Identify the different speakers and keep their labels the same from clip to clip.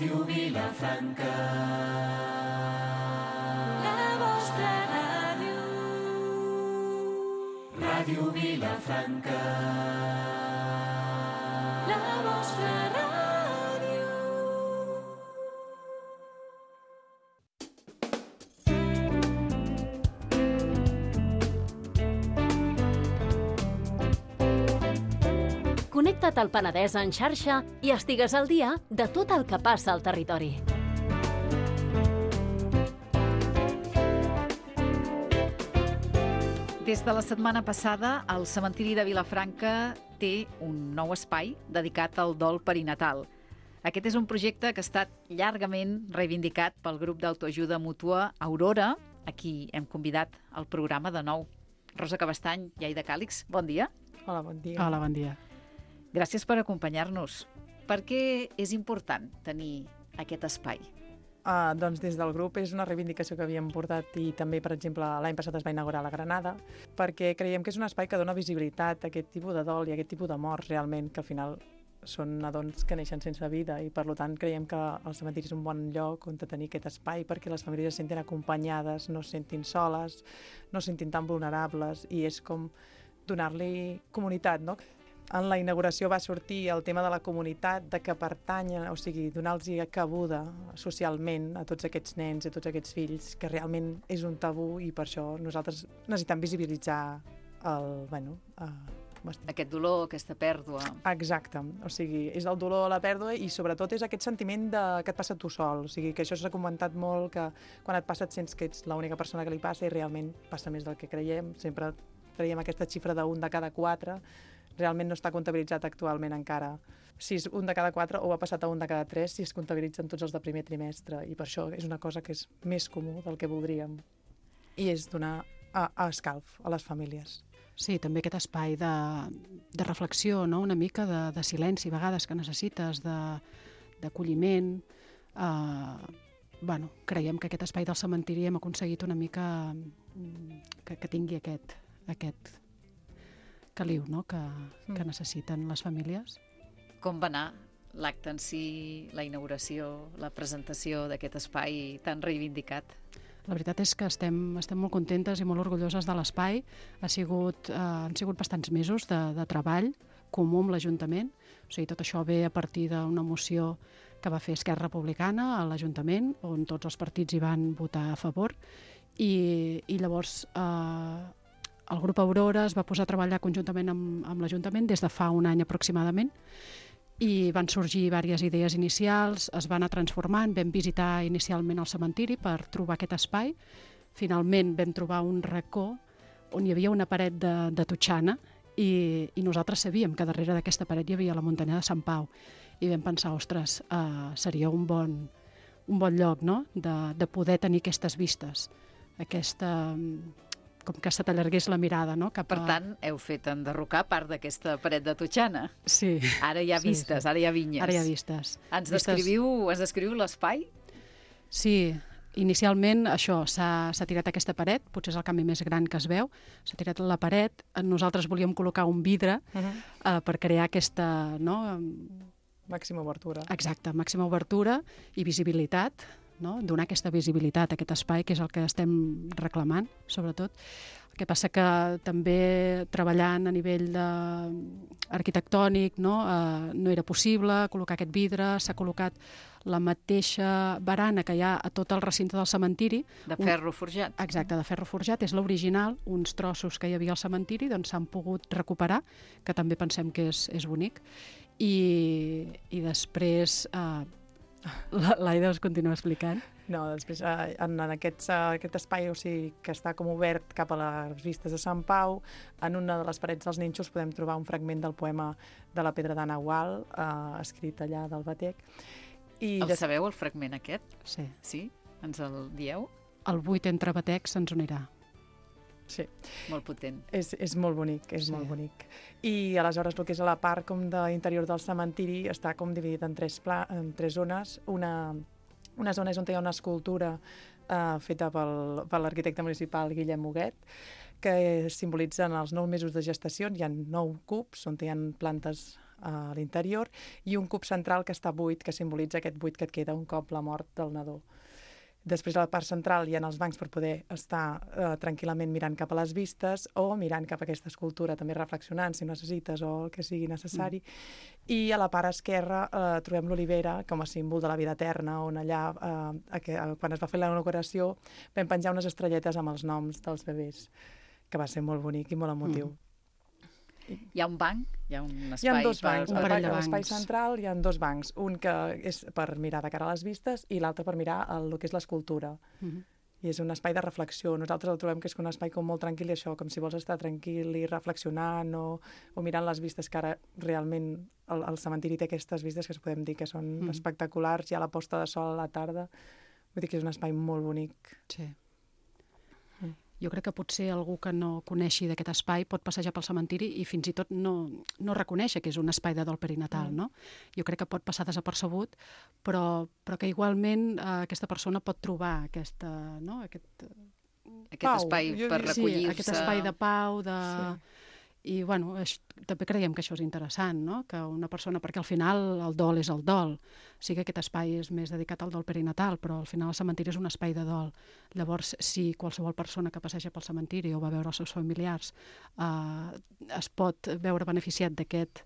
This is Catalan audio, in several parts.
Speaker 1: Ràdio Vilafranca, la vostra ràdio. Ràdio Vilafranca, la vostra ràdio.
Speaker 2: Connecta't al Penedès en xarxa i estigues al dia de tot el que passa al territori.
Speaker 3: Des de la setmana passada, el cementiri de Vilafranca té un nou espai dedicat al dol perinatal. Aquest és un projecte que ha estat llargament reivindicat pel grup d'autoajuda mútua Aurora, a qui hem convidat al programa de nou. Rosa Cabestany i Aida Càlix, bon dia.
Speaker 4: Hola, bon dia.
Speaker 5: Hola, bon dia.
Speaker 3: Gràcies per acompanyar-nos. Per què és important tenir aquest espai?
Speaker 4: Doncs des del grup és una reivindicació que havíem portat i també, per exemple, l'any passat es va inaugurar a la Granada, perquè creiem que és un espai que dona visibilitat a aquest tipus de dol i a aquest tipus de morts realment, que al final són nadons que neixen sense vida i per tant creiem que el cementiri és un bon lloc on tenir aquest espai perquè les famílies es sentin acompanyades, no es sentin soles, no es sentin tan vulnerables i és com donar-li comunitat, no? En la inauguració va sortir el tema de la comunitat, de que pertanyen, o sigui, donar-los cabuda socialment a tots aquests nens i a tots aquests fills, que realment és un tabú i per això nosaltres necessitem visibilitzar
Speaker 3: aquest dolor, aquesta pèrdua.
Speaker 4: Exacte, o sigui, és el dolor, la pèrdua i sobretot és aquest sentiment que et passa tu sol, o sigui, que això s'ha comentat molt, que quan et passa et sents que ets l'única persona que li passa i realment passa més del que creiem, sempre traiem aquesta xifra d'un de cada 4, realment no està comptabilitzat actualment encara. Si és un de cada 4 o ha passat a un de cada 3 si es comptabilitzen tots els de primer trimestre i per això és una cosa que és més comú del que voldríem i és donar escalf a les famílies.
Speaker 5: Sí, també aquest espai de reflexió, no? Una mica de silenci, a vegades que necessites, d'acolliment. Creiem que aquest espai del cementiri hem aconseguit una mica que tingui aquest caliu, no? que necessiten les famílies.
Speaker 3: Com va anar l'acte en si, la inauguració, la presentació d'aquest espai tan reivindicat?
Speaker 5: La veritat és que estem molt contentes i molt orgulloses de l'espai. Han sigut bastants mesos de treball comú amb l'Ajuntament. O sigui, tot això ve a partir d'una moció que va fer Esquerra Republicana a l'Ajuntament, on tots els partits hi van votar a favor. I llavors el grup Aurora es va posar a treballar conjuntament amb l'Ajuntament des de fa un any aproximadament i van sorgir diverses idees inicials, es van anar transformant, vam visitar inicialment el cementiri per trobar aquest espai. Finalment vam trobar un racó on hi havia una paret de totxana i nosaltres sabíem que darrere d'aquesta paret hi havia la muntanya de Sant Pau i vam pensar, ostres, seria un bon lloc, no? de poder tenir aquestes vistes, com que se t'allargués la mirada, no?
Speaker 3: Per tant, heu fet enderrocar part d'aquesta paret de totxana.
Speaker 5: Sí.
Speaker 3: Ara hi ha vistes, sí. Ara hi ha vinyes.
Speaker 5: Ara hi ha vistes.
Speaker 3: Ens descriviu l'espai?
Speaker 5: Sí, inicialment això, s'ha tirat aquesta paret, potser és el canvi més gran que es veu, s'ha tirat la paret, nosaltres volíem col·locar un vidre per crear aquesta...
Speaker 4: Màxima obertura.
Speaker 5: Exacte, màxima obertura i visibilitat, no? Donar aquesta visibilitat a aquest espai, que és el que estem reclamant, sobretot. El que passa que també treballant a nivell arquitectònic no era possible col·locar aquest vidre, s'ha col·locat la mateixa barana que hi ha a tot el recinte del cementiri.
Speaker 3: De ferro forjat.
Speaker 5: Exacte, de ferro forjat, és l'original, uns trossos que hi havia al cementiri doncs s'han pogut recuperar, que també pensem que és bonic, i després... L'Aida us continua explicant.
Speaker 4: No, després en aquest espai, o sigui, que està com obert cap a les vistes de Sant Pau, en una de les parets dels nínxols podem trobar un fragment del poema de la Pedra d'Anna Gual, escrit allà del Batec.
Speaker 3: Sabeu, el fragment aquest?
Speaker 5: Sí.
Speaker 3: Sí? Ens el dieu?
Speaker 5: El buit entre batecs se'ns unirà.
Speaker 4: Sí.
Speaker 3: Molt potent.
Speaker 4: És molt bonic, molt bonic. I aleshores el que és a la part com d'interior del cementiri està com dividit en tres zones. Una zona és on hi ha una escultura feta per l'arquitecte municipal Guillem Huguet, que simbolitzen els 9 mesos de gestació. Hi ha 9 cubs on hi ha plantes a l'interior, i un cub central que està buit, que simbolitza aquest buit que et queda un cop la mort del nadó. Després, a la part central, hi ha els bancs per poder estar tranquil·lament mirant cap a les vistes o mirant cap a aquesta escultura, també reflexionant si necessites o el que sigui necessari. I a la part esquerra trobem l'olivera com a símbol de la vida eterna, on allà, quan es va fer la inauguració, vam penjar unes estrelletes amb els noms dels bebès, que va ser molt bonic i molt emotiu.
Speaker 6: Hi ha un banc? Hi ha un espai?
Speaker 4: Hi ha dos bancs.
Speaker 5: un parell de
Speaker 4: A l'espai
Speaker 5: bancs.
Speaker 4: central hi ha dos bancs. Un que és per mirar de cara a les vistes i l'altre per mirar el que és l'escultura. I és un espai de reflexió. Nosaltres el trobem que és un espai com molt tranquil i això, com si vols estar tranquil i reflexionant o mirant les vistes, que ara realment el cementiri té aquestes vistes que es podem dir que són espectaculars. Hi ha la posta de sol a la tarda. Vull dir que és un espai molt bonic.
Speaker 5: Sí. Jo crec que potser algú que no coneixi d'aquest espai pot passejar pel cementiri i fins i tot no reconèixer que és un espai de dol perinatal, no? Jo crec que pot passar desapercebut, però que igualment aquesta persona pot trobar aquest
Speaker 6: Aquest espai per recollir-se.
Speaker 5: Sí, aquest espai de pau, I, bueno, també creiem que això és interessant, no? Que una persona, perquè al final el dol és el dol. Sí que aquest espai és més dedicat al dol perinatal, però al final el cementiri és un espai de dol. Llavors, si qualsevol persona que passeja pel cementiri o va veure els seus familiars es pot veure beneficiat d'aquest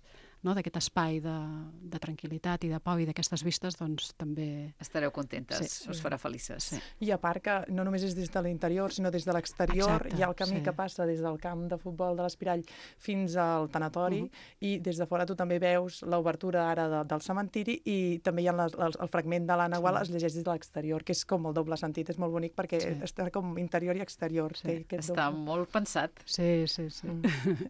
Speaker 5: espai de tranquil·litat i de pau i d'aquestes vistes, doncs també...
Speaker 6: Estareu contentes, us farà felices.
Speaker 5: Sí.
Speaker 4: I a part que no només és des de l'interior, sinó des de l'exterior.
Speaker 5: Exacte,
Speaker 4: Hi ha el camí que passa des del camp de futbol de l'Espirall fins al tanatori, i des de fora tu també veus l'obertura ara del cementiri, i també hi ha el fragment de l'Anna Gual, es llegeix des de l'exterior, que és com el doble sentit, és molt bonic perquè està com interior i exterior.
Speaker 5: Sí.
Speaker 6: Està molt pensat.
Speaker 5: Sí.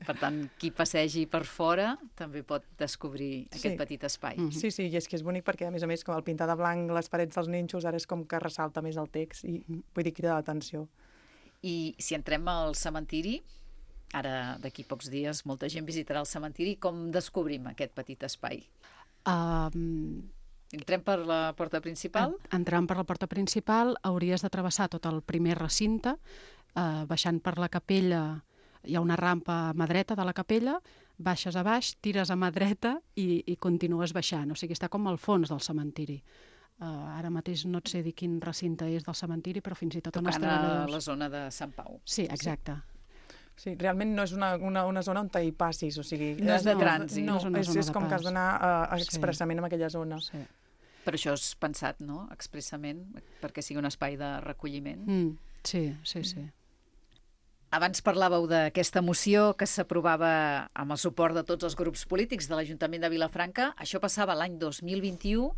Speaker 6: Per tant, qui passegi per fora també pot descobrir aquest petit espai.
Speaker 4: Sí, i és que és bonic perquè, a més, com el pintar de blanc les parets dels nínxols, ara és com que ressalta més el text i vull dir, crida l'atenció.
Speaker 6: I si entrem al cementiri, ara d'aquí pocs dies molta gent visitarà el cementiri, com descobrim aquest petit espai? Entrem per la porta principal?
Speaker 5: Entrant per la porta principal hauries de travessar tot el primer recinte, baixant per la capella, hi ha una rampa a mà dreta de la capella, baixes a baix, tires a mà dreta i continues baixant. O sigui, està com al fons del cementiri. Ara mateix no et sé dir quin recinte és del cementiri, però fins i tot on
Speaker 6: tocant a la zona de Sant Pau.
Speaker 5: Sí, exacte.
Speaker 4: Sí, realment no és una zona on hi passis, o sigui...
Speaker 6: No és de trànsit.
Speaker 4: No,
Speaker 5: és una zona
Speaker 4: és
Speaker 5: de
Speaker 4: com
Speaker 5: pas.
Speaker 4: que has d'anar expressament en aquella zona.
Speaker 5: Sí.
Speaker 6: Per això és pensat, no?, expressament, perquè sigui un espai de recolliment.
Speaker 5: Sí.
Speaker 6: Abans parlàveu d'aquesta moció que s'aprovava amb el suport de tots els grups polítics de l'Ajuntament de Vilafranca. Això passava l'any 2021.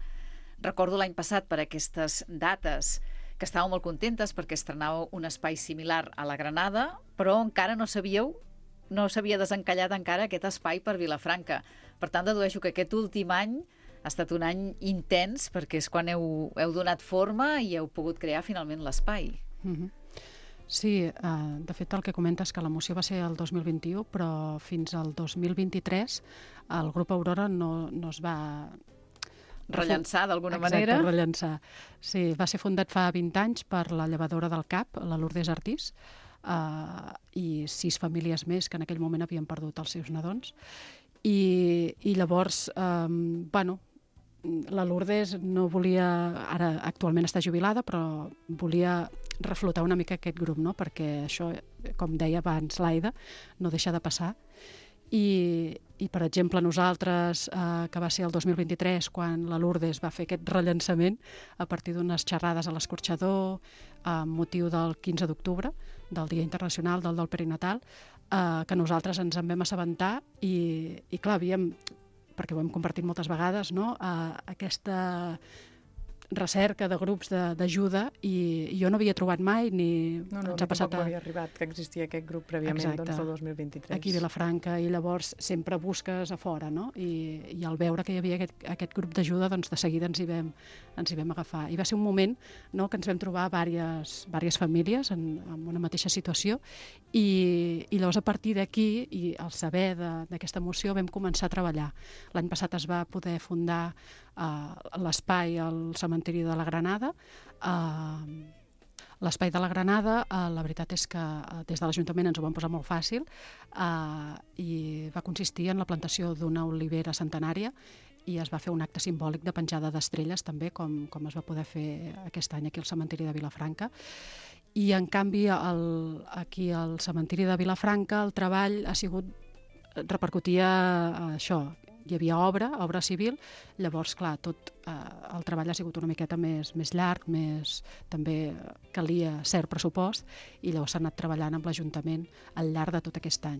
Speaker 6: Recordo l'any passat per aquestes dates que estàveu molt contentes perquè estrenàveu un espai similar a la Granada, però encara no s'havia desencallat encara aquest espai per Vilafranca. Per tant, dedueixo que aquest últim any ha estat un any intens perquè és quan heu donat forma i heu pogut crear finalment l'espai.
Speaker 5: Sí, de fet el que comentes que la moció va ser el 2021, però fins al 2023 el grup Aurora no es va...
Speaker 6: Rellençar d'alguna manera.
Speaker 5: Exacte, rellençar. Sí, va ser fundat fa 20 anys per la llevadora del CAP, la Lourdes Artís, i 6 famílies més que en aquell moment havien perdut els seus nadons. I llavors, la Lourdes no volia, ara actualment està jubilada, però volia reflotar una mica aquest grup, no? Perquè això, com deia abans l'Aida, no deixa de passar. I per exemple, nosaltres, que va ser el 2023, quan la Lourdes va fer aquest rellançament a partir d'unes xerrades a l'escorxador amb motiu del 15 d'octubre, del Dia Internacional del Dol Perinatal, que nosaltres ens en vam assabentar i clar, perquè ho hem compartit moltes vegades, no? Aquesta recerca de grups d'ajuda i jo no havia trobat mai ni ens ha passat
Speaker 4: tampoc m'havia arribat que existia aquest grup prèviament, doncs, el 2023.
Speaker 5: Aquí a Vilafranca, i llavors sempre busques a fora, no? I al veure que hi havia aquest grup d'ajuda, doncs de seguida ens hi vam agafar. I va ser un moment, no?, que ens vam trobar diverses famílies en una mateixa situació i llavors a partir d'aquí i al saber d'aquesta moció vam començar a treballar. L'any passat es va poder fundar l'espai al cementiri de la Granada. L'espai de la Granada, la veritat és que des de l'Ajuntament ens ho van posar molt fàcil i va consistir en la plantació d'una olivera centenària i es va fer un acte simbòlic de penjada d'estrelles també, com es va poder fer aquest any aquí al cementiri de Vilafranca. I en canvi aquí al cementiri de Vilafranca el treball repercutia això. Hi havia obra civil, llavors, clar, tot el treball ha sigut una miqueta més llarg, també calia cert pressupost, i llavors s'ha anat treballant amb l'Ajuntament al llarg de tot aquest any.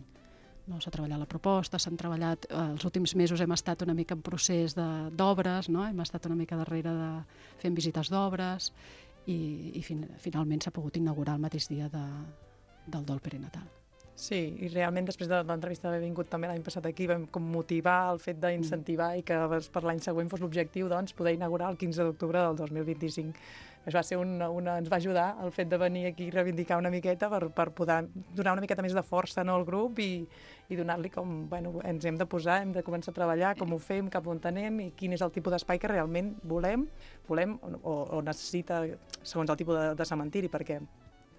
Speaker 5: No, s'ha treballat la proposta, s'han treballat... Els últims mesos hem estat una mica en procés d'obres, no? Hem estat una mica darrere fent visites d'obres i finalment s'ha pogut inaugurar el mateix dia del dol perinatal.
Speaker 4: Sí, i realment després de l'entrevista d'haver vingut també l'any passat aquí vam com motivar el fet d'incentivar i que per l'any següent fos l'objectiu poder inaugurar el 15 d'octubre del 2025. Ens va ajudar el fet de venir aquí i reivindicar una miqueta per poder donar una miqueta més de força al grup i donar-li com, ens hem de posar, hem de començar a treballar, com ho fem, cap on anem i quin és el tipus d'espai que realment volem o necessita segons el tipus de cementiri, perquè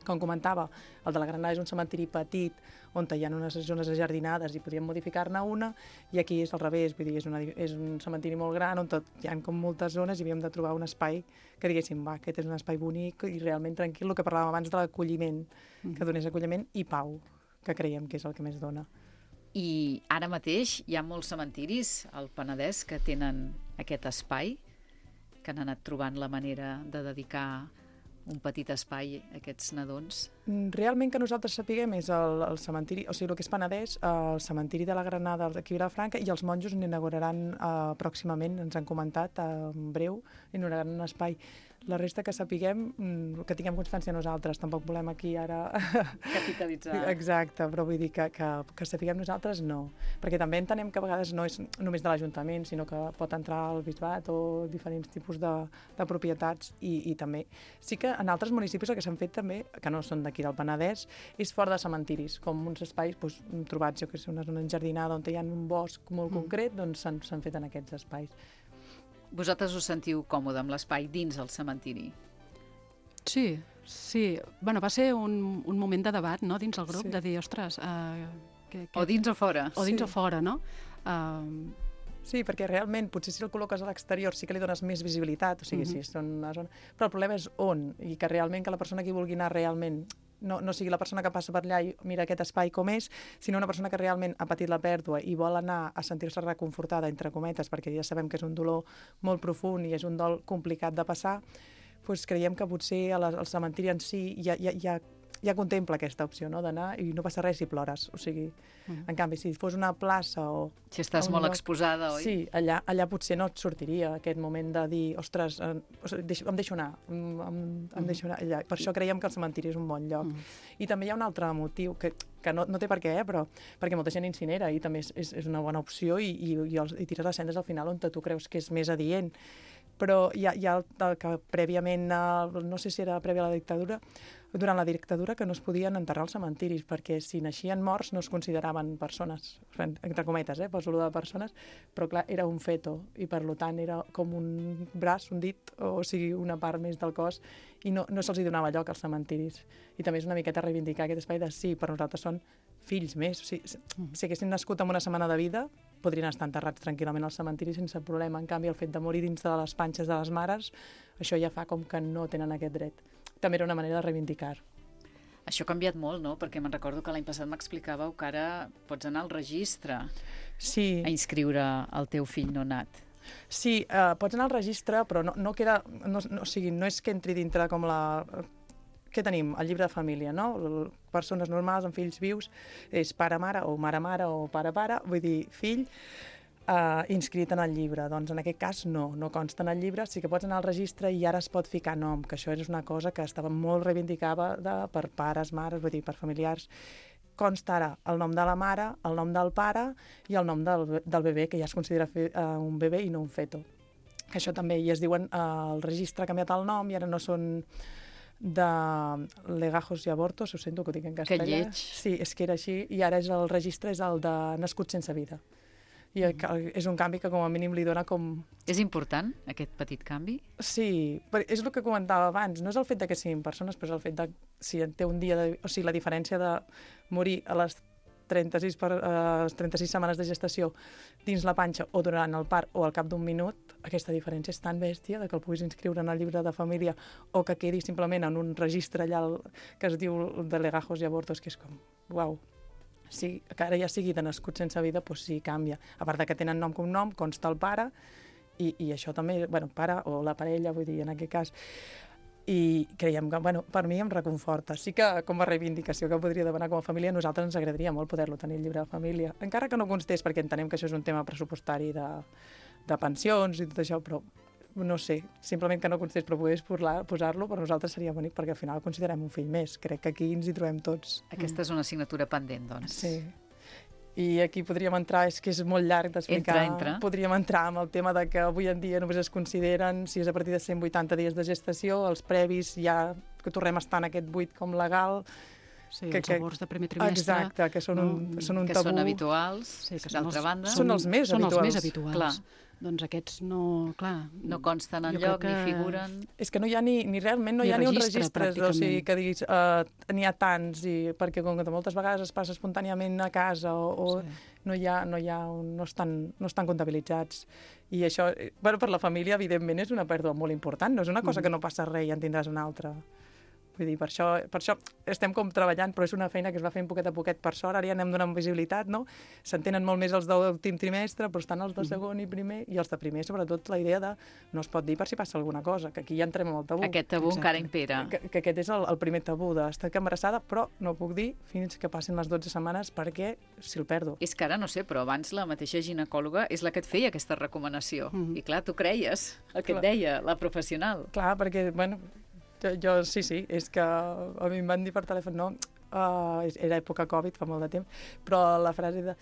Speaker 4: com comentava, el de la Granada és un cementiri petit on hi ha unes zones ajardinades i podríem modificar-ne una, i aquí és al revés, vull dir, és un cementiri molt gran on hi ha com moltes zones i havíem de trobar un espai que diguéssim, aquest és un espai bonic i realment tranquil, el que parlàvem abans de l'acolliment, que donés acolliment i pau, que creiem que és el que més dona.
Speaker 6: I ara mateix hi ha molts cementiris al Penedès que tenen aquest espai, que han anat trobant la manera de dedicar un petit espai a aquests nadons?
Speaker 4: Realment que nosaltres sapiguem és el cementiri, o sigui, el que és Penedès, el cementiri de la Granada d'aquí a Vilafranca, i els monjos n'inauguraran pròximament, ens han comentat, en breu, inauguraran un espai. La resta que sapiguem, que tinguem constància nosaltres, tampoc volem aquí ara...
Speaker 6: Capitalitzar.
Speaker 4: Exacte, però vull dir que sapiguem nosaltres no, perquè també entenem que a vegades no és només de l'Ajuntament, sinó que pot entrar al bisbat o diferents tipus de propietats i també. Sí que en altres municipis el que s'han fet també, que no són d'aquí del Penedès, és fora de cementiris, com uns espais trobats, jo que sé, una zona enjardinada on hi ha un bosc molt concret, doncs s'han fet en aquests espais.
Speaker 6: Vosaltres us sentiu còmode amb l'espai dins el cementiri?
Speaker 5: Sí. Bueno, va ser un moment de debat, no?, dins el grup, de dir, ostres...
Speaker 6: O dins o fora.
Speaker 5: O dins o fora, no?
Speaker 4: Sí, perquè realment, potser si el col·loques a l'exterior sí que li dones més visibilitat, o sigui, sí, són una zona... Però el problema és on, i que realment que la persona que hi vulgui anar realment no sigui la persona que passa per allà i mira aquest espai com és, sinó una persona que realment ha patit la pèrdua i vol anar a sentir-se reconfortada, entre cometes, perquè ja sabem que és un dolor molt profund i és un dol complicat de passar, doncs creiem que potser el cementiri en si ja contempla aquesta opció, no?, d'anar i no passa res si plores. O sigui, en canvi, si fos una plaça o...
Speaker 6: Si estàs molt exposada, oi?
Speaker 4: Sí, allà potser no et sortiria aquest moment de dir, ostres, em deixo anar, em deixo anar allà. Per això creiem que el cementiri és un bon lloc. I també hi ha un altre motiu, que no té per què, però perquè molta gent incinera i també és una bona opció i tires les cendres al final on tu creus que és més adient. Però hi ha el que prèviament, no sé si era prèvia a la dictadura, durant la dictadura que no es podien enterrar als cementiris, perquè si naixien morts no es consideraven persones, entre cometes, poso-lo de persones, però clar, era un feto, i per tant era com un braç, un dit, o sigui, una part més del cos, i no se'ls donava lloc als cementiris. I també és una miqueta reivindicar aquest espai de sí, per nosaltres són fills més. O sigui, si haguessin nascut amb una setmana de vida, podrien estar enterrats tranquil·lament al cementiri sense problema. En canvi, el fet de morir dins de les panxes de les mares, això ja fa com que no tenen aquest dret. També era una manera de reivindicar.
Speaker 6: Això ha canviat molt, no? Perquè me'n recordo que l'any passat m'explicàveu que ara pots anar al registre a inscriure el teu fill no nat.
Speaker 4: Sí, pots anar al registre, però no queda... o sigui, no és que entri dintre com la... Què tenim? El llibre de família, no? Persones normals amb fills vius és pare-mare o mare-mare o pare-pare, vull dir, fill inscrit en el llibre. Doncs en aquest cas no consta en el llibre, sí que pots anar al registre i ara es pot ficar nom, que això és una cosa que estava molt reivindicada per pares, mares, vull dir, per familiars. Consta ara el nom de la mare, el nom del pare i el nom del bebè, que ja es considera un bebè i no un feto. Això també, i es diuen, el registre ha canviat el nom i ara no són de legajos i abortos, ho sento que ho dic en castellà.
Speaker 6: Que lleig.
Speaker 4: Sí, és que era així, i ara el registre és el de nascut sense vida. I és un canvi que com a mínim li dona com...
Speaker 6: És important, aquest petit canvi?
Speaker 4: Sí, és el que comentava abans. No és el fet de que siguin persones, però és el fet de si té un dia... O sigui, la diferència de morir a les 36 setmanes de gestació dins la panxa o durant el part o al cap d'un minut, aquesta diferència és tan bèstia de que el puguis inscriure en el llibre de família o que quedi simplement en un registre allà que es diu de legajos i abortos, que és com, uau, sí, que ara ja sigui de nascut sense vida, doncs sí, canvia. A part de que tenen nom com nom, consta el pare, i això també, bueno, pare o la parella, vull dir, en aquest cas. I creiem que, bueno, per mi em reconforta. Sí que, com a reivindicació que podria demanar com a família, a nosaltres ens agradaria molt poder-lo tenir el llibre de família. Encara que no constés, perquè entenem que això és un tema pressupostari de pensions i tot això, però no sé, simplement que no constés, però pogués posar-lo, per nosaltres seria bonic, perquè al final el considerem un fill més. Crec que aquí ens hi trobem tots.
Speaker 6: Aquesta és una assignatura pendent, doncs.
Speaker 4: Sí. I aquí podríem entrar, és que és molt llarg d'explicar.
Speaker 6: Entra.
Speaker 4: Podríem entrar amb el tema de que avui en dia només es consideren, si és a partir de 180 dies de gestació, els previs ja que tornem a estar en aquest buit com legal.
Speaker 5: Sí, els aborts de primer trimestre.
Speaker 4: Exacte, que són un
Speaker 6: que
Speaker 4: tabú.
Speaker 6: són habituals,
Speaker 5: Sí, que
Speaker 6: d'altra banda.
Speaker 4: Són els més
Speaker 5: són
Speaker 4: habituals.
Speaker 5: els més habituals.
Speaker 6: Clar.
Speaker 5: Doncs aquests no, clar...
Speaker 6: No consten
Speaker 5: jo
Speaker 6: enlloc,
Speaker 5: crec
Speaker 6: ni
Speaker 5: que-
Speaker 6: figuren...
Speaker 4: És que no hi ha ni realment no
Speaker 5: Ni
Speaker 4: hi ha ni un
Speaker 5: registre,
Speaker 4: registre, o sigui,
Speaker 5: pràcticament.
Speaker 4: que diguis n'hi ha tants, perquè com que moltes vegades es passa espontàniament a casa o
Speaker 5: Sí.
Speaker 4: no estan comptabilitzats. I això, bueno, per la família, evidentment, és una pèrdua molt important, no és una cosa que no passa res i en tindràs una altra. Vull dir, per això estem com treballant, però és una feina que es va fent poquet a poquet, per sort, ara ja anem donant visibilitat, no? S'entenen molt més els d'últim trimestre, però estan els de segon i primer, i els de primer, sobretot, la idea de no es pot dir per si passa alguna cosa, que aquí ja entrem amb el tabú.
Speaker 6: Aquest tabú
Speaker 5: Exacte.
Speaker 6: encara impera.
Speaker 4: Que aquest és el primer tabú d'estar embarassada, però no puc dir fins que passin les 12 setmanes perquè si el perdo.
Speaker 6: És que ara no sé, però abans la mateixa ginecòloga és la que et feia aquesta recomanació. I clar, tu creies el que et
Speaker 4: Clar.
Speaker 6: deia la professional.
Speaker 4: Clar, perquè, bueno, jo sí, és que a mi em van dir per telèfon, no, era època Covid, fa molt de temps, però la frase de,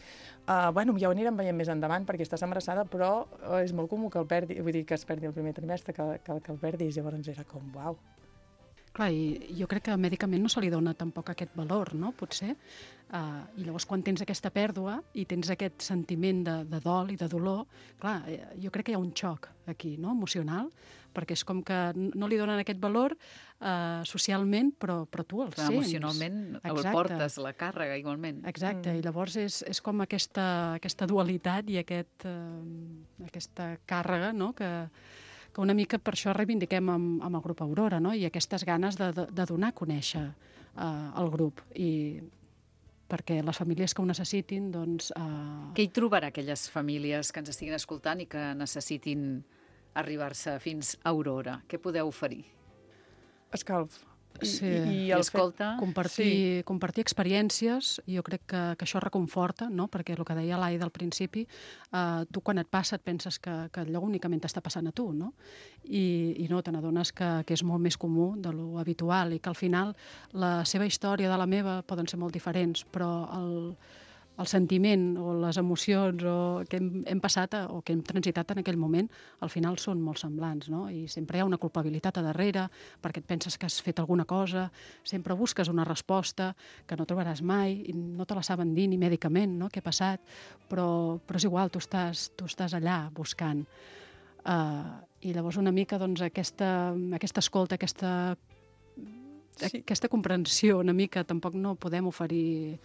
Speaker 4: bueno, ja ho anirem veient més endavant perquè estàs embarassada, però és molt comú que el perdi, vull dir, que es perdi el primer trimestre, que el perdis, llavors era com, uau.
Speaker 5: Clar, i jo crec que mèdicament no se li dona tampoc aquest valor, no?, potser. I llavors quan tens aquesta pèrdua i tens aquest sentiment de dol i de dolor, clar, jo crec que hi ha un xoc aquí, no?, emocional, perquè és com que no li donen aquest valor socialment, però tu el
Speaker 6: Clar,
Speaker 5: sents.
Speaker 6: emocionalment el
Speaker 5: Exacte.
Speaker 6: portes, la càrrega, igualment.
Speaker 5: Exacte, i llavors és com aquesta dualitat i aquesta càrrega, no?, que una mica per això reivindiquem amb el grup Aurora, no?, i aquestes ganes de donar a conèixer el grup, i perquè les famílies que ho necessitin, doncs...
Speaker 6: Què hi trobarà aquelles famílies que ens estiguin escoltant i que necessitin arribar-se fins a Aurora? Què podeu oferir?
Speaker 4: Escalf.
Speaker 5: Sí,
Speaker 6: I escolta,
Speaker 5: compartir experiències, jo crec que això reconforta, no?, perquè el que deia l'Aida al principi, tu quan et passa et penses que allò únicament t'està passant a tu, no? I no, te n'adones que és molt més comú de lo habitual i que al final la seva història de la meva poden ser molt diferents, però el sentiment o les emocions que hem passat o que hem transitat en aquell moment, al final són molt semblants, no? I sempre hi ha una culpabilitat a darrere, perquè et penses que has fet alguna cosa, sempre busques una resposta que no trobaràs mai, i no te la saben dir ni mèdicament, no?, què ha passat, però és igual, tu estàs allà buscant. I llavors una mica doncs, aquesta escolta, aquesta comprensió una mica tampoc no podem oferir.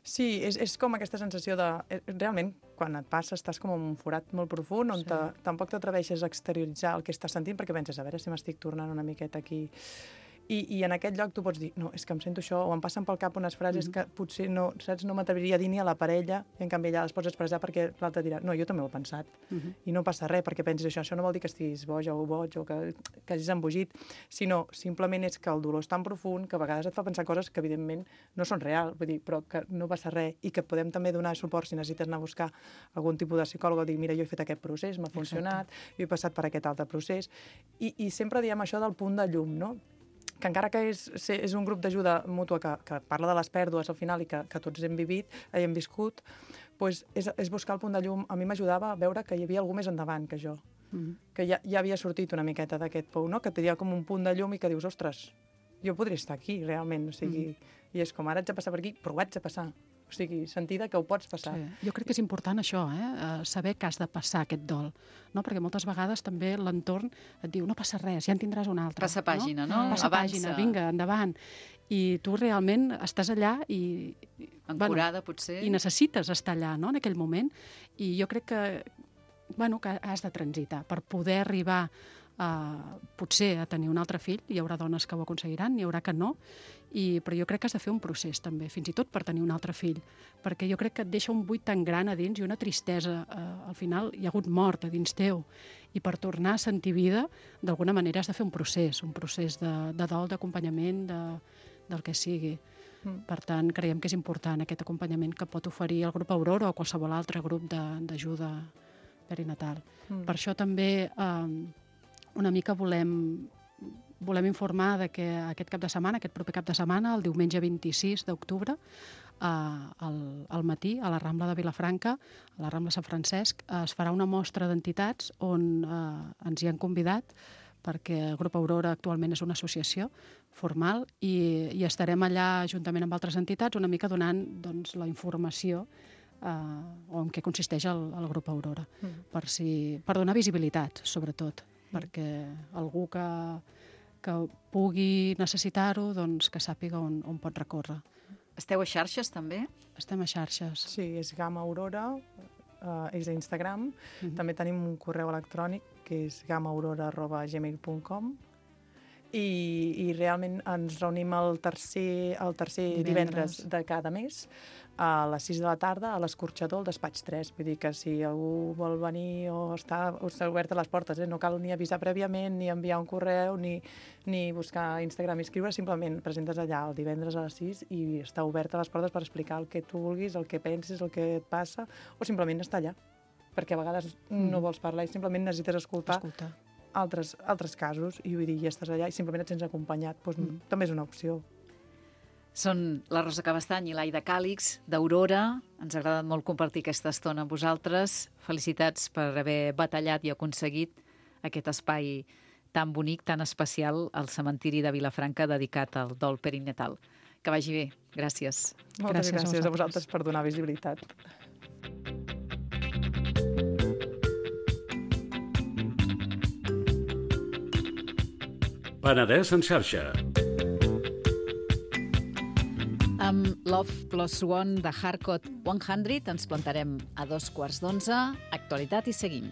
Speaker 4: Sí, és com aquesta sensació de... Realment, quan et passa, estàs com en un forat molt profund, on tampoc t'atreveixes a exterioritzar el que estàs sentint, perquè penses, a veure si m'estic tornant una miqueta aquí... I en aquest lloc tu pots dir, no, és que em sento això, o em passen pel cap unes frases que potser no, saps, no m'atreviria a dir ni a la parella, i en canvi allà les pots expressar perquè l'altre dirà, no, jo també ho he pensat, i no passa res perquè pensis això no vol dir que estiguis boja o boig o que hagis embogit, sinó simplement és que el dolor és tan profund que a vegades et fa pensar coses que evidentment no són reals, vull dir, però que no passa res i que et podem també donar suport si necessites anar a buscar algun tipus de psicòleg o dir, mira, jo he fet aquest procés, m'ha funcionat, jo he passat per aquest altre procés, i sempre diem això del punt de llum, no?, que encara que és un grup d'ajuda mútua que parla de les pèrdues al final i que tots hem viscut, doncs és buscar el punt de llum. A mi m'ajudava a veure que hi havia algú més endavant que jo, que ja havia sortit una miqueta d'aquest pou, no? Que tenia com un punt de llum i que dius, ostres, jo podria estar aquí realment, o sigui, i és com ara haig de passar per aquí, però ho haig de passar. O sigui, sentir que ho pots passar.
Speaker 5: Sí. Jo crec que és important això, saber que has de passar aquest dol, no? Perquè moltes vegades també l'entorn et diu no passa res, ja en tindràs un altre.
Speaker 6: Passa pàgina, no?
Speaker 5: Passa
Speaker 6: Avança.
Speaker 5: pàgina, vinga, endavant. I tu realment estàs allà i...
Speaker 6: Ancorada, potser.
Speaker 5: I necessites estar allà, no?, en aquell moment. I jo crec que has de transitar per poder arribar potser a tenir un altre fill. Hi haurà dones que ho aconseguiran, n'hi haurà que no, però jo crec que has de fer un procés també, fins i tot per tenir un altre fill, perquè jo crec que et deixa un buit tan gran a dins i una tristesa. Al final hi ha hagut mort a dins teu, i per tornar a sentir vida, d'alguna manera has de fer un procés de dol, d'acompanyament, del que sigui. Per tant, creiem que és important aquest acompanyament que pot oferir el grup Aurora o qualsevol altre grup d'ajuda perinatal. Per això també una mica volem informar de que aquest cap de setmana, aquest proper cap de setmana, el diumenge 26 d'octubre, al matí, a la Rambla de Vilafranca, a la Rambla Sant Francesc, es farà una mostra d'entitats on ens hi han convidat, perquè el grup Aurora actualment és una associació formal i estarem allà juntament amb altres entitats una mica donant la informació en què consisteix el grup Aurora, per donar visibilitat, sobretot, perquè algú que pugui necessitar-ho, que sàpiga on pot recórrer.
Speaker 6: Esteu a xarxes, també?
Speaker 5: Estem a xarxes.
Speaker 4: Sí, és Gamma Aurora, és a Instagram. També tenim un correu electrònic, que és gamaurora@gmail.com, i realment ens reunim el tercer divendres de cada mes a les 6 de la tarda a l'Escorxador, al despatx 3. Vull dir que si algú vol venir o està oberta les portes, no cal ni avisar prèviament, ni enviar un correu, ni buscar Instagram i escriure, simplement presentes allà el divendres a les 6 i està oberta les portes per explicar el que tu vulguis, el que pensis, el que et passa, o simplement estar allà, perquè a vegades no vols parlar i simplement necessites escoltar. Altres casos, i vull dir, ja estàs allà i simplement et sents acompanyat, també és una opció.
Speaker 6: Són la Rosa Cabestany i l'Aida Càlix, d'Aurora. Ens ha agradat molt compartir aquesta estona amb vosaltres. Felicitats per haver batallat i aconseguit aquest espai tan bonic, tan especial, al cementiri de Vilafranca, dedicat al dol perinatal. Que vagi bé. Gràcies.
Speaker 4: Moltes gràcies a vosaltres per donar visibilitat.
Speaker 7: Penedès en xarxa.
Speaker 6: Amb Love Plus One de Hardcore 100 ens plantarem a 11:15. Actualitat i seguim.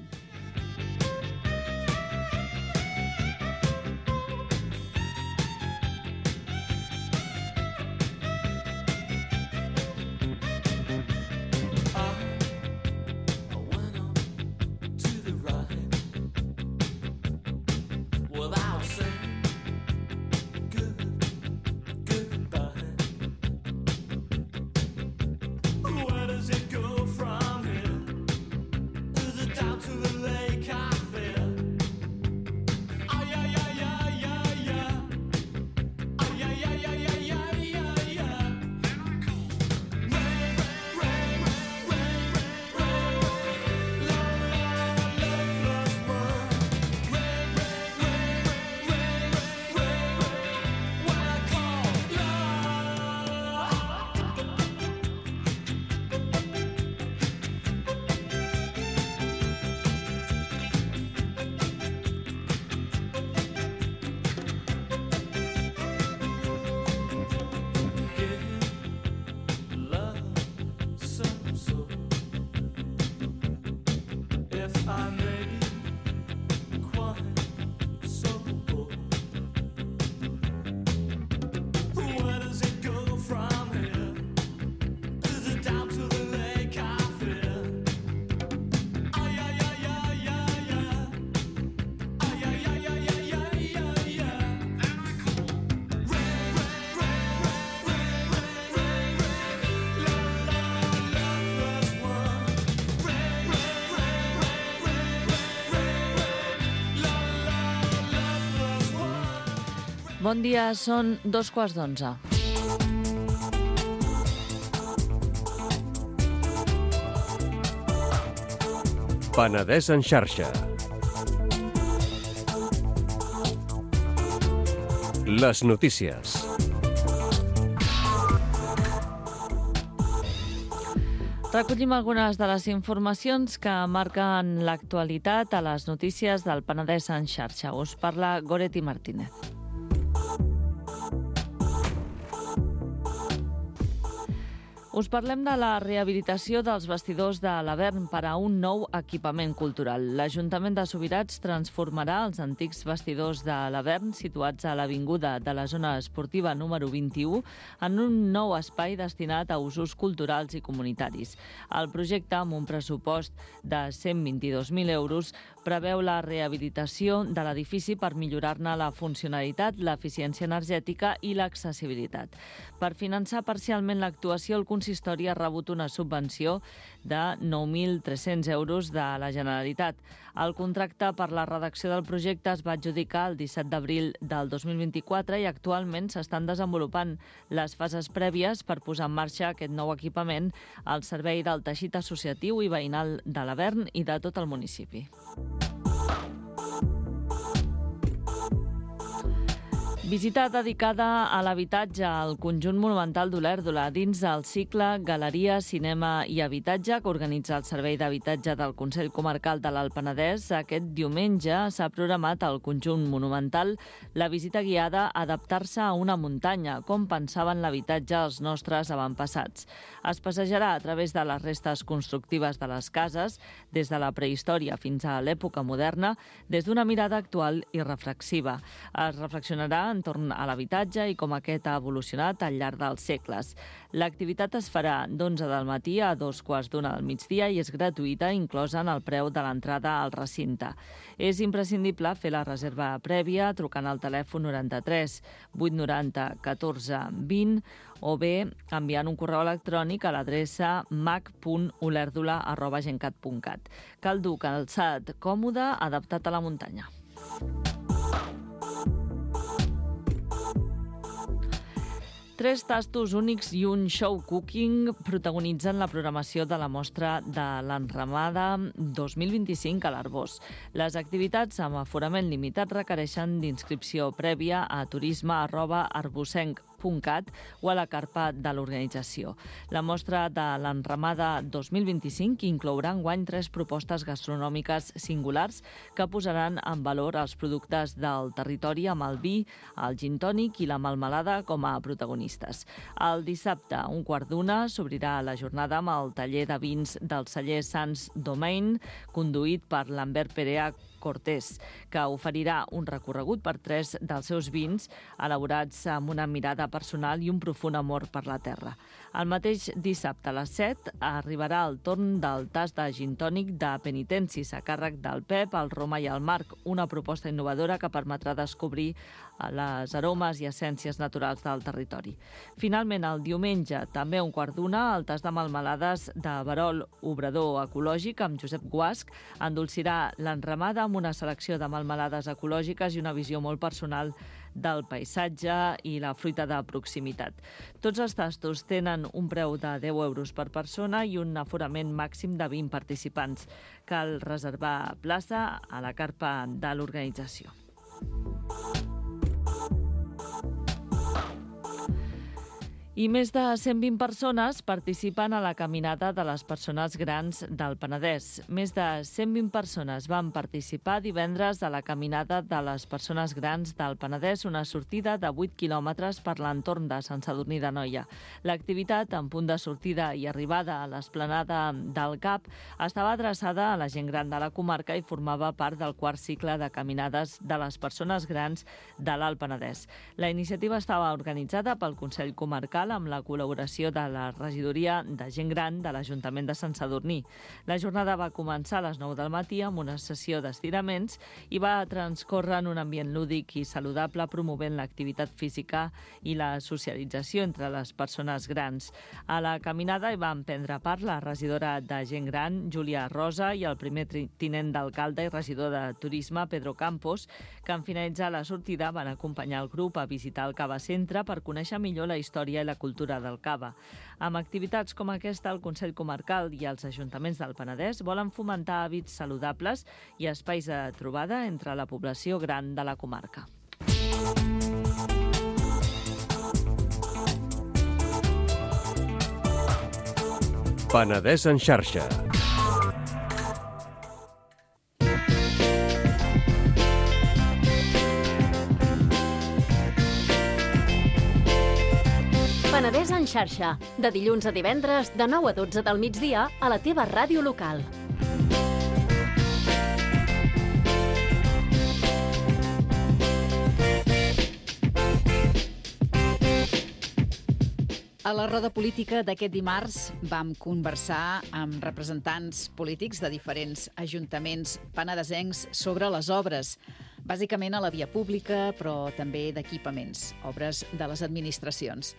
Speaker 8: Bon dia, són 11:15.
Speaker 7: Penedès en xarxa. Les notícies.
Speaker 8: Recollim algunes de les informacions que marquen l'actualitat a les notícies del Penedès en xarxa. Us parla Goretti Martínez. Us parlem de la rehabilitació dels vestidors de l'Avern per a un nou equipament cultural. L'Ajuntament de Subirats transformarà els antics vestidors de l'Avern, situats a l'avinguda de la zona esportiva número 21, en un nou espai destinat a usos culturals i comunitaris. El projecte, amb un pressupost de 122.000 euros, preveu la rehabilitació de l'edifici per millorar-ne la funcionalitat, l'eficiència energètica i l'accessibilitat. Per finançar parcialment l'actuació, el consistori ha rebut una subvenció de 9.300 euros de la Generalitat. El contracte per la redacció del projecte es va adjudicar el 17 d'abril del 2024 i actualment s'estan desenvolupant les fases prèvies per posar en marxa aquest nou equipament al servei del teixit associatiu i veïnal de l'Avern i de tot el municipi. Visita dedicada a l'habitatge al conjunt monumental d'Olèrdola dins del cicle Galeria, Cinema i Habitatge que organitza el Servei d'Habitatge del Consell Comarcal de l'Alt Penedès. Aquest diumenge s'ha programat al conjunt monumental la visita guiada a adaptar-se a una muntanya, com pensaven l'habitatge els nostres avantpassats. Es passejarà a través de les restes constructives de les cases, des de la prehistòria fins a l'època moderna, des d'una mirada actual i reflexiva. Es reflexionarà entorn a l'habitatge i com aquest ha evolucionat al llarg dels segles. L'activitat es farà d'11 del matí a 2:15 del migdia i és gratuïta, inclosa en el preu de l'entrada al recinte. És imprescindible fer la reserva prèvia trucant al telèfon 93 890 14 20 o bé enviant un correu electrònic a l'adreça mac.olerdola@gencat.cat. Cal dur calçat còmode adaptat a la muntanya. Tres tastos únics i un show cooking protagonitzen la programació de la mostra de l'Enramada 2025 a l'Arbós. Les activitats amb aforament limitat requereixen d'inscripció prèvia a turisme@arbosenc.cat o a la carpa de l'organització. La mostra de l'Enramada 2025 inclourà enguany 3 propostes gastronòmiques singulars que posaran en valor els productes del territori amb el vi, el gin tònic i la melmelada com a protagonistes. El dissabte, a 1:15, s'obrirà la jornada amb el taller de vins del celler Sans Domain, conduït per Lambert Perea Cortés, que oferirà un recorregut per 3 dels seus vins elaborats amb una mirada personal i un profund amor per la terra. El mateix dissabte a les 7 arribarà el torn del tast de gin tònic de penitencis a càrrec del Pep, el Roma i el Marc, una proposta innovadora que permetrà descobrir les aromes i essències naturals del territori. Finalment, el diumenge, també a 1:15, el tast de melmelades de Verol Obrador Ecològic amb Josep Guasc endolcirà l'Enramada amb una selecció de melmelades ecològiques i una visió molt personal del paisatge i la fruita de proximitat. Tots els tastos tenen un preu de 10 euros per persona i un aforament màxim de 20 participants. Cal reservar plaça a la carpa de l'organització. I més de 120 persones participen a la Caminada de les Persones Grans del Penedès. Més de 120 persones van participar divendres a la Caminada de les Persones Grans del Penedès, una sortida de 8 quilòmetres per l'entorn de Sant Sadurní d'Anoia. L'activitat, en punt de sortida i arribada a l'esplanada del CAP, estava adreçada a la gent gran de la comarca i formava part del quart cicle de caminades de les persones grans de l'Alt Penedès. La iniciativa estava organitzada pel Consell Comarcal amb la col·laboració de la Regidoria de Gent Gran de l'Ajuntament de Sant Sadurní. La jornada va començar a les 9 del matí amb una sessió d'estiraments i va transcórrer en un ambient lúdic i saludable, promovent l'activitat física i la socialització entre les persones grans. A la caminada hi van prendre part la regidora de Gent Gran, Júlia Rosa, i el primer tinent d'alcalde i regidor de Turisme, Pedro Campos, que en finalitzar la sortida van acompanyar el grup a visitar el Cava Centre per conèixer millor la història i la cultura del cava. Amb activitats com aquesta, el Consell Comarcal i els ajuntaments del Penedès volen fomentar hàbits saludables i espais de trobada entre la població gran de la comarca.
Speaker 7: Penedès en xarxa.
Speaker 2: Penedès en xarxa, de dilluns a divendres, de 9 a 12 del migdia, a la teva ràdio local.
Speaker 6: A la roda política d'aquest dimarts vam conversar amb representants polítics de diferents ajuntaments penedesencs sobre les obres, bàsicament a la via pública, però també d'equipaments, obres de les administracions.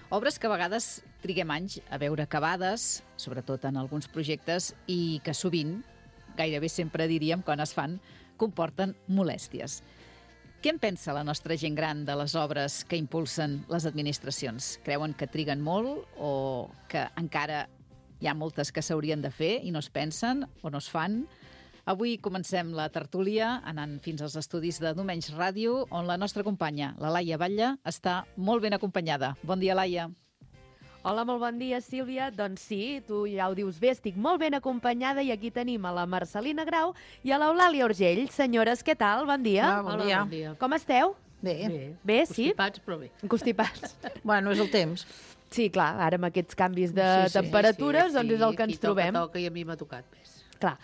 Speaker 6: Obres que a vegades triguem anys a veure acabades, sobretot en alguns projectes, i que sovint, gairebé sempre diríem, quan es fan, comporten molèsties. Què en pensa la nostra gent gran de les obres que impulsen les administracions? Creuen que triguen molt o que encara hi ha moltes que s'haurien de fer i no es pensen o no es fan? Avui comencem la tertúlia anant fins als estudis de Domenys Ràdio, on la nostra companya, la Laia Batlle, està molt ben acompanyada. Bon dia, Laia.
Speaker 9: Hola, molt bon dia, Sílvia. Doncs sí, tu ja ho dius bé, estic molt ben acompanyada i aquí tenim a la Marcelina Grau i a l'Eulàlia Urgell. Senyores, què tal? Bon dia.
Speaker 10: Bon dia.
Speaker 9: Com esteu?
Speaker 10: Bé.
Speaker 9: Bé, sí?
Speaker 10: Constipats, però bé.
Speaker 9: Constipats.
Speaker 10: Bueno, és el temps.
Speaker 9: Sí, clar, ara amb aquests canvis de temperatures, doncs és el que ens trobem.
Speaker 10: Toca i a mi m'ha tocat més.
Speaker 9: Clar.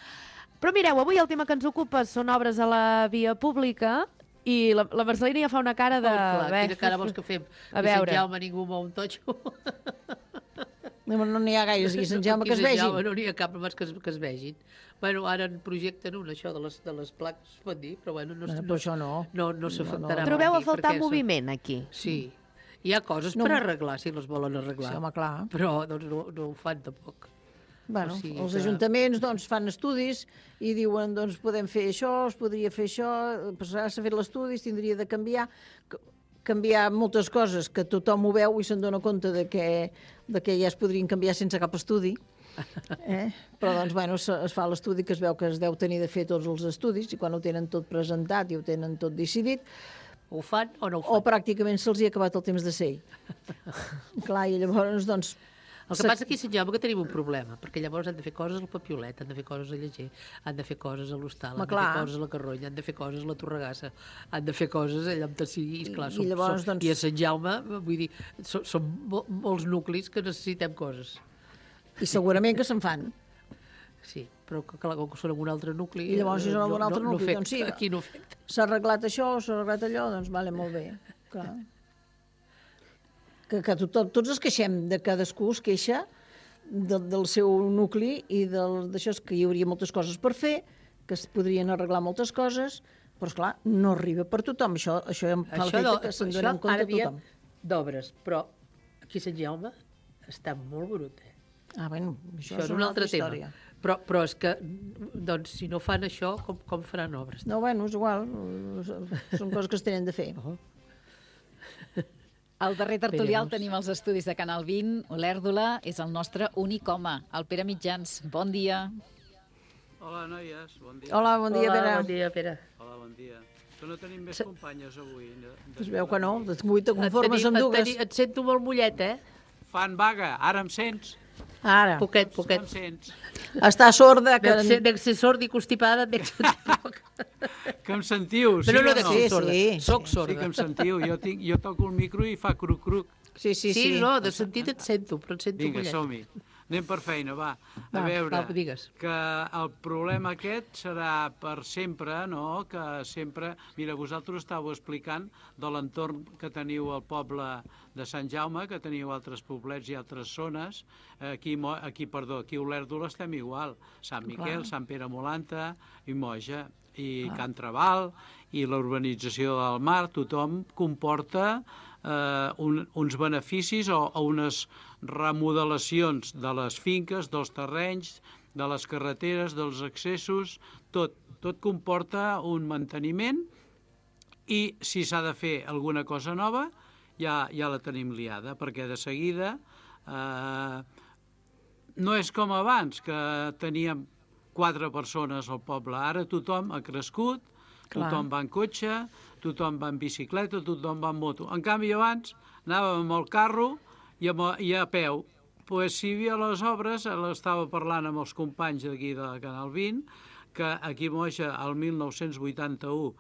Speaker 9: Però mireu, avui el tema que ens ocupa són obres a la via pública i la Marcelina ja fa una cara de...
Speaker 10: Quina cara vols que fem?
Speaker 9: A veure.
Speaker 10: Sant Jaume ningú mou un totxo.
Speaker 11: No n'hi ha gaires aquí a Sant Jaume que es vegin.
Speaker 10: No n'hi ha cap només que es vegin. Bueno, ara en projecten un, això de les plaques, es pot dir, però bueno,
Speaker 11: Però això no.
Speaker 10: No s'afectarà.
Speaker 9: Trobeu a faltar moviment aquí?
Speaker 10: Sí. Hi ha coses per arreglar, si les volen arreglar.
Speaker 11: Sí, home, clar.
Speaker 10: Però doncs, no ho fan tampoc.
Speaker 11: Bueno,
Speaker 10: O sigui
Speaker 11: els
Speaker 10: que-
Speaker 11: ajuntaments doncs, fan estudis i diuen doncs, podem fer això, es podria fer això, s'ha fet l'estudi, es tindria de canviar moltes coses que tothom ho veu i se'n dona compte de que ja es podrien canviar sense cap estudi. Però doncs, bueno, es fa l'estudi que es veu que es deu tenir de fer tots els estudis i quan ho tenen tot presentat i ho tenen tot decidit,
Speaker 10: ho fan o no ho fan?
Speaker 11: o pràcticament se'ls hi ha acabat el temps de ser. Clar, i llavors, doncs...
Speaker 10: El que passa aquí a Sant Jaume que tenim un problema, perquè llavors han de fer coses al Papiolet, han de fer coses a Lleger, han de fer coses a l'Hostal, han de fer coses a la Carronya, han de fer coses a la Torregassa, han de fer coses allà on sigui.
Speaker 11: I llavors, doncs...
Speaker 10: I a Sant Jaume, vull dir, són molts nuclis que necessitem coses.
Speaker 11: I segurament que se'n fan.
Speaker 10: Sí, però clar, com que són en un altre nucli...
Speaker 11: I llavors, si són en un altre nucli, doncs sí.
Speaker 10: Aquí no afecta.
Speaker 11: S'ha arreglat això, s'ha arreglat allò, doncs vale, molt bé. Clar. Que tots es queixem, de cadascú es queixa del seu nucli i d'això que hi hauria moltes coses per fer, que es podrien arreglar moltes coses, però esclar, no arriba per tothom. Això fa l'efecte que se'n dona en compte tothom.
Speaker 10: D'obres, però aquí a Sant Jaume està molt brut,
Speaker 11: Ah, bueno, això
Speaker 10: és un altre tema. Però és que, doncs, si no fan això, com faran obres?
Speaker 11: No, bueno, és igual. Són coses que es tenen de fer.
Speaker 6: Al darrer tertulià el tenim als estudis de Canal 20. Olèrdola és el nostre únic home, el Pere Mitjans. Bon dia.
Speaker 12: Hola, noies. Bon dia.
Speaker 11: Hola, bon dia, Pere.
Speaker 10: Bon dia, Pere.
Speaker 12: Hola, bon dia. Que no tenim més companyes avui.
Speaker 11: Es veu que no, te conformes amb dues.
Speaker 10: Et sento molt mollet,
Speaker 12: Fan vaga, ara em sents?
Speaker 11: Ara.
Speaker 10: Poquet.
Speaker 12: Em sents?
Speaker 11: Està sorda.
Speaker 10: Dec ser sorda i constipada, dec sentir poc.
Speaker 12: Que em sentiu, sí
Speaker 10: no,
Speaker 12: o no?
Speaker 10: dec ser sorda. Soc sorda.
Speaker 12: Sí que em sentiu. Jo toco el micro i fa cruc-cruc.
Speaker 10: Sí, no, de sentit et sento, però et sento
Speaker 12: Vinga,
Speaker 10: mollet.
Speaker 12: som-hi. Anem per feina, va. A veure,
Speaker 10: digues.
Speaker 12: que el problema aquest serà per sempre, no? Que sempre... Mira, vosaltres estàveu explicant de l'entorn que teniu al poble de Sant Jaume, que teniu altres poblets i altres zones. Aquí a Olèrdola estem igual. Sant Miquel, Sant Pere Molanta i Moja, i Can Trabal, i la urbanització del Mar, tothom comporta uns beneficis o unes remodelacions de les finques, dels terrenys, de les carreteres, dels accessos, tot comporta un manteniment i si s'ha de fer alguna cosa nova ja la tenim liada, perquè de seguida no és com abans, que teníem 4 persones al poble, ara tothom ha crescut, tothom va en cotxe, tothom va en bicicleta, tothom va en moto. En canvi, abans anàvem amb el carro i a peu. Pues si hi havia les obres, estava parlant amb els companys d'aquí de Canal 20, que aquí a Moja, el 1981,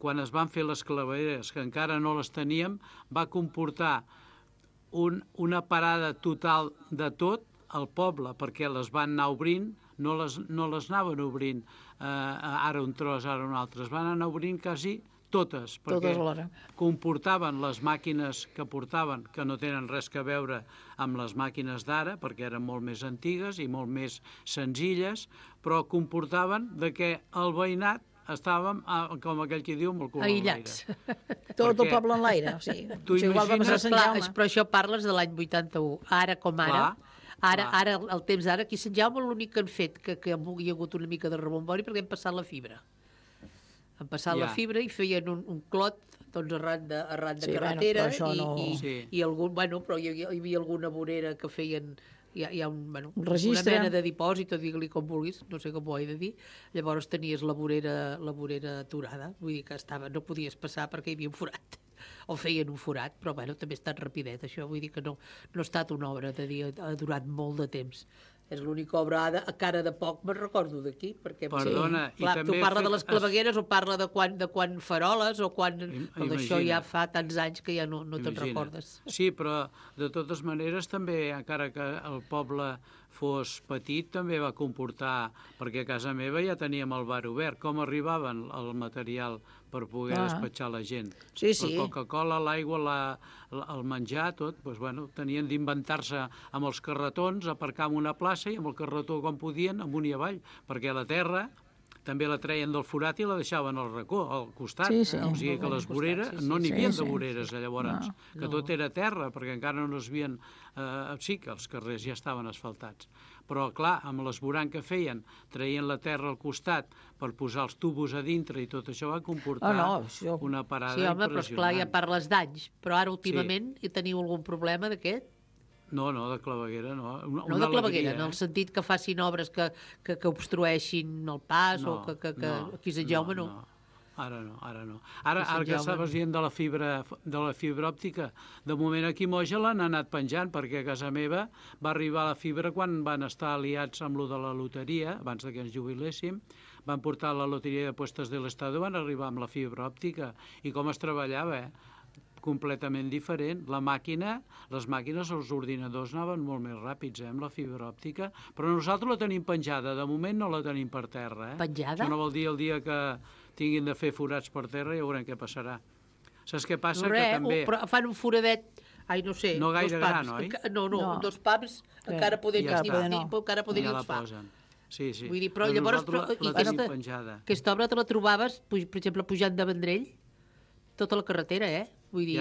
Speaker 12: quan es van fer les clavegueres, que encara no les teníem, va comportar una parada total de tot al poble, perquè les van anar obrint, no les anaven obrint ara un tros, ara un altre, es van anar obrint quasi totes, perquè comportaven les màquines que portaven, que no tenen res a veure amb les màquines d'ara, perquè eren molt més antigues i molt més senzilles, però comportaven de que el veïnat estàvem, com aquell que diu, amb el cul
Speaker 10: aïllats.
Speaker 11: Tot el poble en l'aire. O sigui, igual va passar a Sant Jaume.
Speaker 10: Però això parles de l'any 81. Ara com ara, ara el temps d'ara, aquí a Sant Jaume l'únic que han fet, que hi ha hagut una mica de rebombori, perquè hem passat la fibra. Han passat la fibra i feien un clot doncs arran de carretera i algun, però hi havia alguna vorera que feien. Hi ha una mena de dipòsit, o digue-li com vulguis, no sé com ho he de dir. Llavors tenies la vorera aturada, vull dir que no podies passar perquè hi havia un forat, o feien un forat, però també ha estat rapidet, això, vull dir que no ha estat una obra de dir, ha durat molt de temps. És l'única obra a cara de poc, me'n recordo d'aquí, perquè
Speaker 12: perdona,
Speaker 10: clar, tu parla de les clavegueres o parla de quan faroles o quan... Però d'això ja fa tants anys que ja no te'n recordes.
Speaker 12: Sí, però de totes maneres també, encara que el poble fos petit, també va comportar, perquè a casa meva ja teníem el bar obert, com arribaven el material per poder despatxar la gent.
Speaker 11: Sí.
Speaker 12: La Coca-Cola, l'aigua, el menjar, tot, doncs, tenien d'inventar-se amb els carretons, aparcar en una plaça i amb el carretó com podien, amunt i avall, perquè la terra també la treien del forat i la deixaven al racó, al costat. O sigui que les voreres, no n'hi havia de voreres llavors, que tot era terra, perquè encara no es havien... Sí, que els carrers ja estaven asfaltats. Però, clar, amb l'esborant que feien, traien la terra al costat per posar els tubos a dintre i tot això va comportar una parada impressionant.
Speaker 10: Sí, home, però esclar, ja parles d'anys. Però ara, últimament, teniu algun problema d'aquest?
Speaker 12: No, de claveguera, no.
Speaker 10: No de claveguera, en el sentit que facin obres que obstrueixin el pas o que aquí a Sant Jaume no.
Speaker 12: Ara no. Ara que estaves dient de la fibra òptica, de moment aquí a Moja l'han anat penjant, perquè a casa meva va arribar la fibra quan van estar aliats amb lo de la loteria, abans que ens jubiléssim, van portar la loteria de puestos de l'Estado, van arribar amb la fibra òptica, i com es treballava, completament diferent. Les màquines, els ordinadors anaven molt més ràpids amb la fibra òptica, però nosaltres la tenim penjada, de moment no la tenim per terra.
Speaker 10: Penjada?
Speaker 12: Això no vol dir el dia que tinguin de fer forats per terra, ja veurem què passarà. Saps què passa? Que també...
Speaker 10: Però fan un foradet, no sé,
Speaker 12: no gaire gran, oi?
Speaker 10: No, dos pams, encara podem els fa.
Speaker 12: Sí.
Speaker 10: Vull dir, però llavors... Aquesta obra te la trobaves, per exemple, pujant de Vendrell, tota la carretera, Vull dir...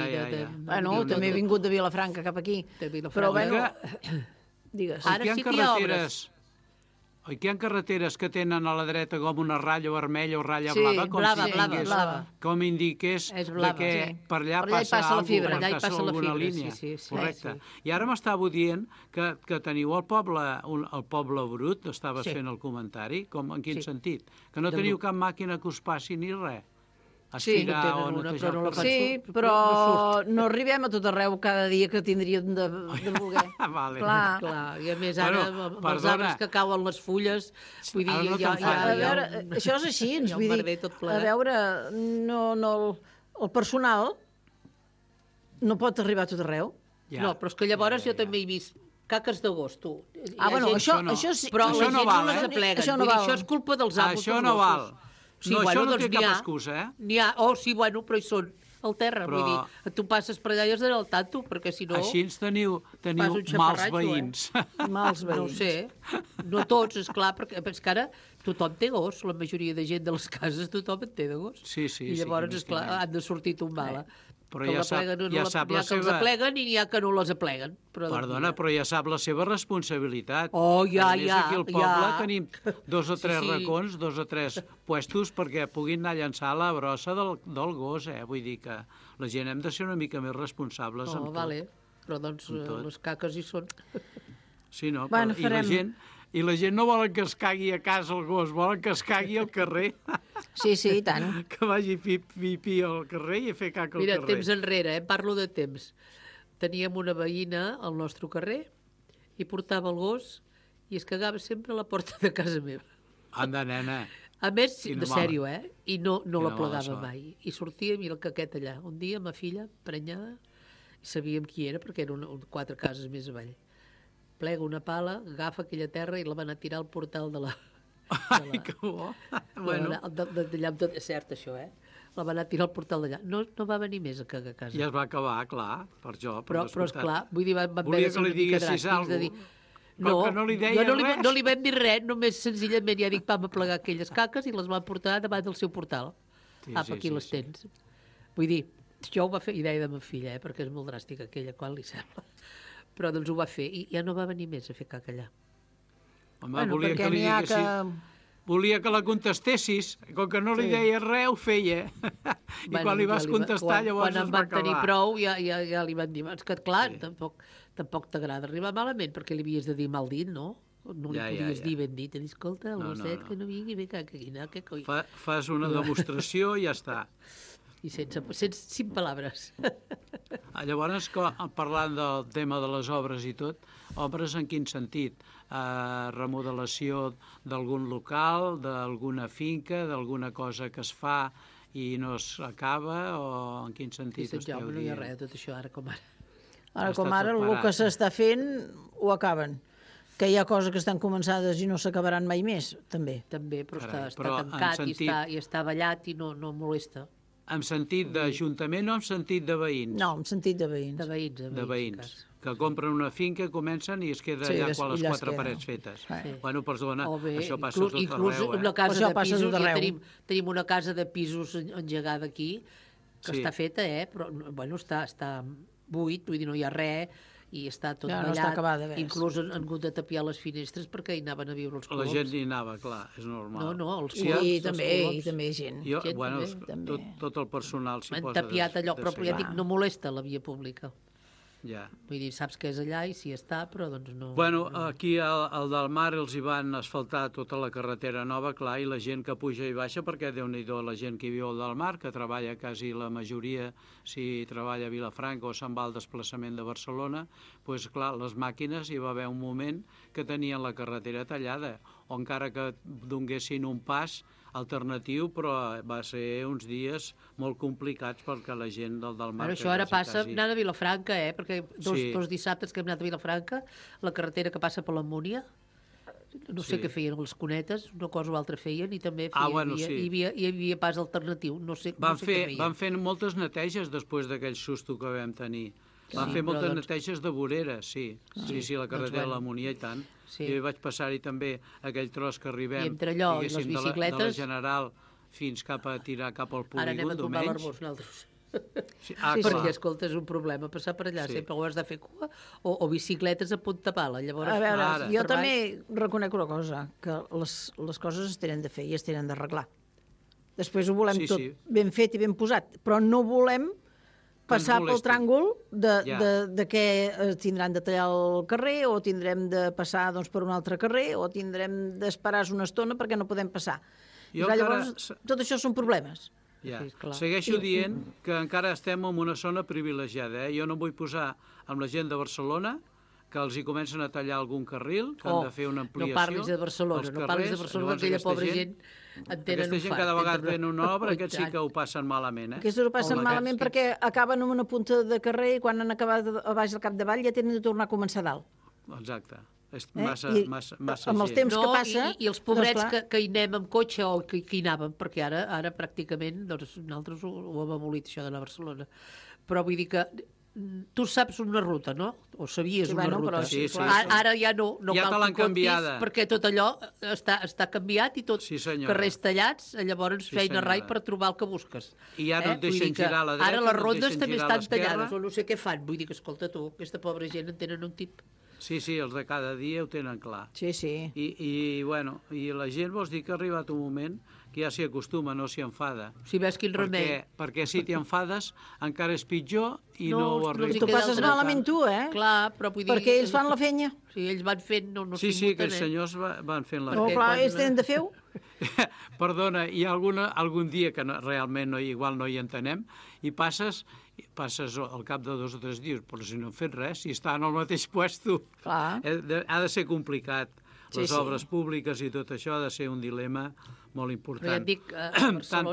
Speaker 11: També he vingut de Vilafranca cap aquí. Però, digues.
Speaker 10: Ara sí que hi ha obres.
Speaker 12: Oi que hi ha carreteres que tenen a la dreta com una ratlla vermella o ratlla blava?
Speaker 10: Blava.
Speaker 12: Com indiqués que per allà passa alguna línia. Correcte. I ara m'estava dient que teniu el poble brut, estaves fent el comentari, en quin sentit? Que no teniu cap màquina que us passi ni res? Aspirar o netejar el carrer.
Speaker 11: Sí, però no arribem a tot arreu cada dia que tindríem de voler.
Speaker 10: Clar. I a més ara, amb els arbres que cauen les fulles, vull dir,
Speaker 11: això és així, vull dir, a veure, el personal no pot arribar a tot arreu.
Speaker 10: No, però és que llavors jo també he vist caques d'agost, tu.
Speaker 11: Això sí.
Speaker 10: Però la gent no les apleguen. Això és culpa dels amos.
Speaker 12: Això no val. Sí, això no té cap excusa,
Speaker 10: N'hi ha, però hi són al terra, vull dir, tu passes per allà i has d'anar al tanto, perquè si no...
Speaker 12: Així teniu mals veïns.
Speaker 11: Mals veïns.
Speaker 10: No ho sé, no tots, esclar, perquè és que ara tothom té gos, la majoria de gent de les cases tothom en té de gos.
Speaker 12: Sí.
Speaker 10: I llavors, esclar, han de sortir tombala.
Speaker 12: Però ja sap la seva...
Speaker 10: que els apleguen i n'hi ha que no les apleguen.
Speaker 12: Perdona, però ja sap la seva responsabilitat.
Speaker 10: Ja.
Speaker 12: Aquí al poble tenim 2 o 3 racons, 2 o 3 puestos perquè puguin anar a llançar la brossa del gos, Vull dir que la gent hem de ser una mica més responsables amb tot.
Speaker 10: Però doncs les caques hi són.
Speaker 12: Sí, no? I la gent no volen que es cagui a casa el gos, volen que es cagui al carrer.
Speaker 11: Sí, i tant.
Speaker 12: Que vagi pi al carrer i a fer caca al carrer.
Speaker 10: Mira, temps enrere, parlo de temps. Teníem una veïna al nostre carrer i portava el gos i es cagava sempre a la porta de casa meva.
Speaker 12: Anda, nena.
Speaker 10: A més,
Speaker 12: Quina
Speaker 10: de sèrio, I no
Speaker 12: quina
Speaker 10: la
Speaker 12: mala
Speaker 10: plegava
Speaker 12: sort.
Speaker 10: mai. I sortia i el caquet allà. Un dia, ma filla, prenyada, i sabíem qui era, perquè era 4 cases més avall. Plega una pala, agafa aquella terra i la va anar a tirar al portal de la...
Speaker 12: Ai, que bo. Bueno.
Speaker 10: D'allà, tot és cert, això, La va anar a tirar al portal d'allà. No va venir més a cagar a casa.
Speaker 12: Ja es va acabar, clar, per jo.
Speaker 10: Però esclar, vull dir, van
Speaker 12: volia
Speaker 10: haver de
Speaker 12: que
Speaker 10: ser
Speaker 12: li
Speaker 10: una mica
Speaker 12: diguessis
Speaker 10: dràstics de
Speaker 12: alguna
Speaker 10: dir...
Speaker 12: cosa. Com que no li deia res.
Speaker 10: No li vam dir res, només senzillament ja dic, vam aplegar aquelles caques i les van portar davant del seu portal.
Speaker 12: Sí,
Speaker 10: Aquí les tens. Vull dir, això ho va fer idea de ma filla, perquè és molt dràstica aquella, quan li sembla. Però doncs ho va fer i ja no va venir més a fer caca allà.
Speaker 12: Home, volia que li diguessis... Volia que la contestessis, com que no li deia res, ho feia. I quan li vas contestar, llavors es va acabar.
Speaker 10: Quan en van tenir prou, ja li van dir, és que clar, tampoc t'agrada arribar malament, perquè li havies de dir mal dit, no? No li podies dir ben dit, escolta, el gosset que no vingui, ve caca, que coi.
Speaker 12: Fas una demostració i ja està.
Speaker 10: I sense 5 paraules.
Speaker 12: Llavors, parlant del tema de les obres i tot, obres en quin sentit? Remodelació d'algun local, d'alguna finca, d'alguna cosa que es fa i no s'acaba, o en quin sentit esteu dient?
Speaker 10: No hi ha res, tot això, ara com ara.
Speaker 11: Ara com ara, el que s'està fent ho acaben. Que hi ha coses que estan començades i no s'acabaran mai més, també.
Speaker 10: També, però està tancat i està ballat i no molesta.
Speaker 12: En sentit d'Ajuntament o en sentit de veïns?
Speaker 11: No, en sentit de veïns.
Speaker 10: De
Speaker 12: veïns. Que compren una finca, comencen i es queda allà quan les 4 parets fetes. Bueno, perdona, això passa tot arreu.
Speaker 10: Inclús una casa de pisos, tenim una casa de pisos engegada aquí, que està feta, però bueno, està buit, vull dir, no hi ha res, i està tot ballat.
Speaker 11: No està acabada,
Speaker 10: inclús han hagut de tapiar les finestres perquè hi anaven a viure els coloms.
Speaker 12: La gent hi anava, clar, és normal.
Speaker 10: No, els
Speaker 11: coloms. I també gent.
Speaker 12: Bueno, tot el personal s'hi posa.
Speaker 10: Han tapiat allò, però ja dic, no molesta la via pública.
Speaker 12: Ja.
Speaker 10: Vull dir, saps que és allà i si està, però doncs no...
Speaker 12: Bueno, aquí al del Mar els hi van asfaltar tota la carretera nova, clar, i la gent que puja i baixa, perquè déu-n'hi-do la gent que viu al del Mar, que treballa quasi la majoria, si treballa a Vilafranca o se'n va al desplaçament de Barcelona, doncs clar, les màquines hi va haver un moment que tenien la carretera tallada, o encara que donguessin un pas alternatiu, però va ser uns dies molt complicats perquè la gent del Mar...
Speaker 10: Això ara passa anant a Vilafranca, perquè dos dissabtes que hem anat a Vilafranca, la carretera que passa per la Múnia, no sé què feien les cunetes, una cosa o altra feien, i també hi havia pas alternatiu.
Speaker 12: Van fer moltes neteges després d'aquell susto que vam tenir. Van fer moltes neteges de voreres, sí, la carretera de la Múnia i tant. Jo hi vaig passar-hi també aquell tros que arribem, diguéssim, de la General fins cap a tirar cap al polígon,
Speaker 10: ara anem a tombar l'arbós nosaltres. Perquè, escolta, és un problema passar per allà, sempre ho has de fer cua o bicicletes a punta pala.
Speaker 11: A veure, jo també reconec una cosa, que les coses es tenen de fer i es tenen d'arreglar. Després ho volem tot ben fet i ben posat, però no volem passar pel tràngol de què tindran de tallar el carrer o tindrem de passar per un altre carrer o tindrem d'esperar una estona perquè no podem passar. Llavors, tot això són problemes.
Speaker 12: Segueixo dient que encara estem en una zona privilegiada. Jo no vull posar amb la gent de Barcelona que els hi comencen a tallar algun carril, que han de fer una ampliació.
Speaker 10: No parlis de Barcelona, aquella pobra gent en tenen un fart.
Speaker 12: Aquesta gent cada vegada ven una obra, aquests sí que ho passen malament.
Speaker 11: Aquests ho passen malament perquè acaben en una punta de carrer i quan han acabat a baix al capdavall ja tenen de tornar a començar a dalt.
Speaker 12: Exacte. És massa gent.
Speaker 11: Amb els temps que passa...
Speaker 10: I els pobrets que hi anem amb cotxe o que hi anàvem, perquè ara pràcticament nosaltres ho hem abolit, això d'anar a Barcelona. Però vull dir que tu saps una ruta, no? O sabies una ruta. Ara ja no cal que contis, perquè tot allò està canviat i tot carrers tallats, llavors feina rai per trobar el que busques.
Speaker 12: I ja no et deixen girar a la dreta,
Speaker 10: ara les rondes també estan tallades, o no sé què fan. Vull dir que, escolta tu, aquesta pobra gent en tenen un tip.
Speaker 12: Sí, els de cada dia ho tenen clar.
Speaker 11: Sí.
Speaker 12: I la gent vols dir que ha arribat un moment que ja s'hi acostuma, no s'hi enfada.
Speaker 10: Si ves quin remei.
Speaker 12: Perquè si t'hi enfades encara és pitjor i no ho arribes.
Speaker 11: Tu passes malament tu,
Speaker 10: Clar, però vull dir...
Speaker 11: Perquè ells fan la fenya.
Speaker 10: Sí, ells van fent, no
Speaker 12: Sí, que els senyors van fent la
Speaker 11: feina. No, clar, ells tenen de fer-ho.
Speaker 12: Perdona, hi ha algun dia que realment igual no hi entenem i passes al cap de 2 o 3 dies, però si no han fet res, si estan al mateix puesto, ha de ser complicat. Les obres públiques i tot això ha de ser un dilema molt important.
Speaker 10: Però ja et dic,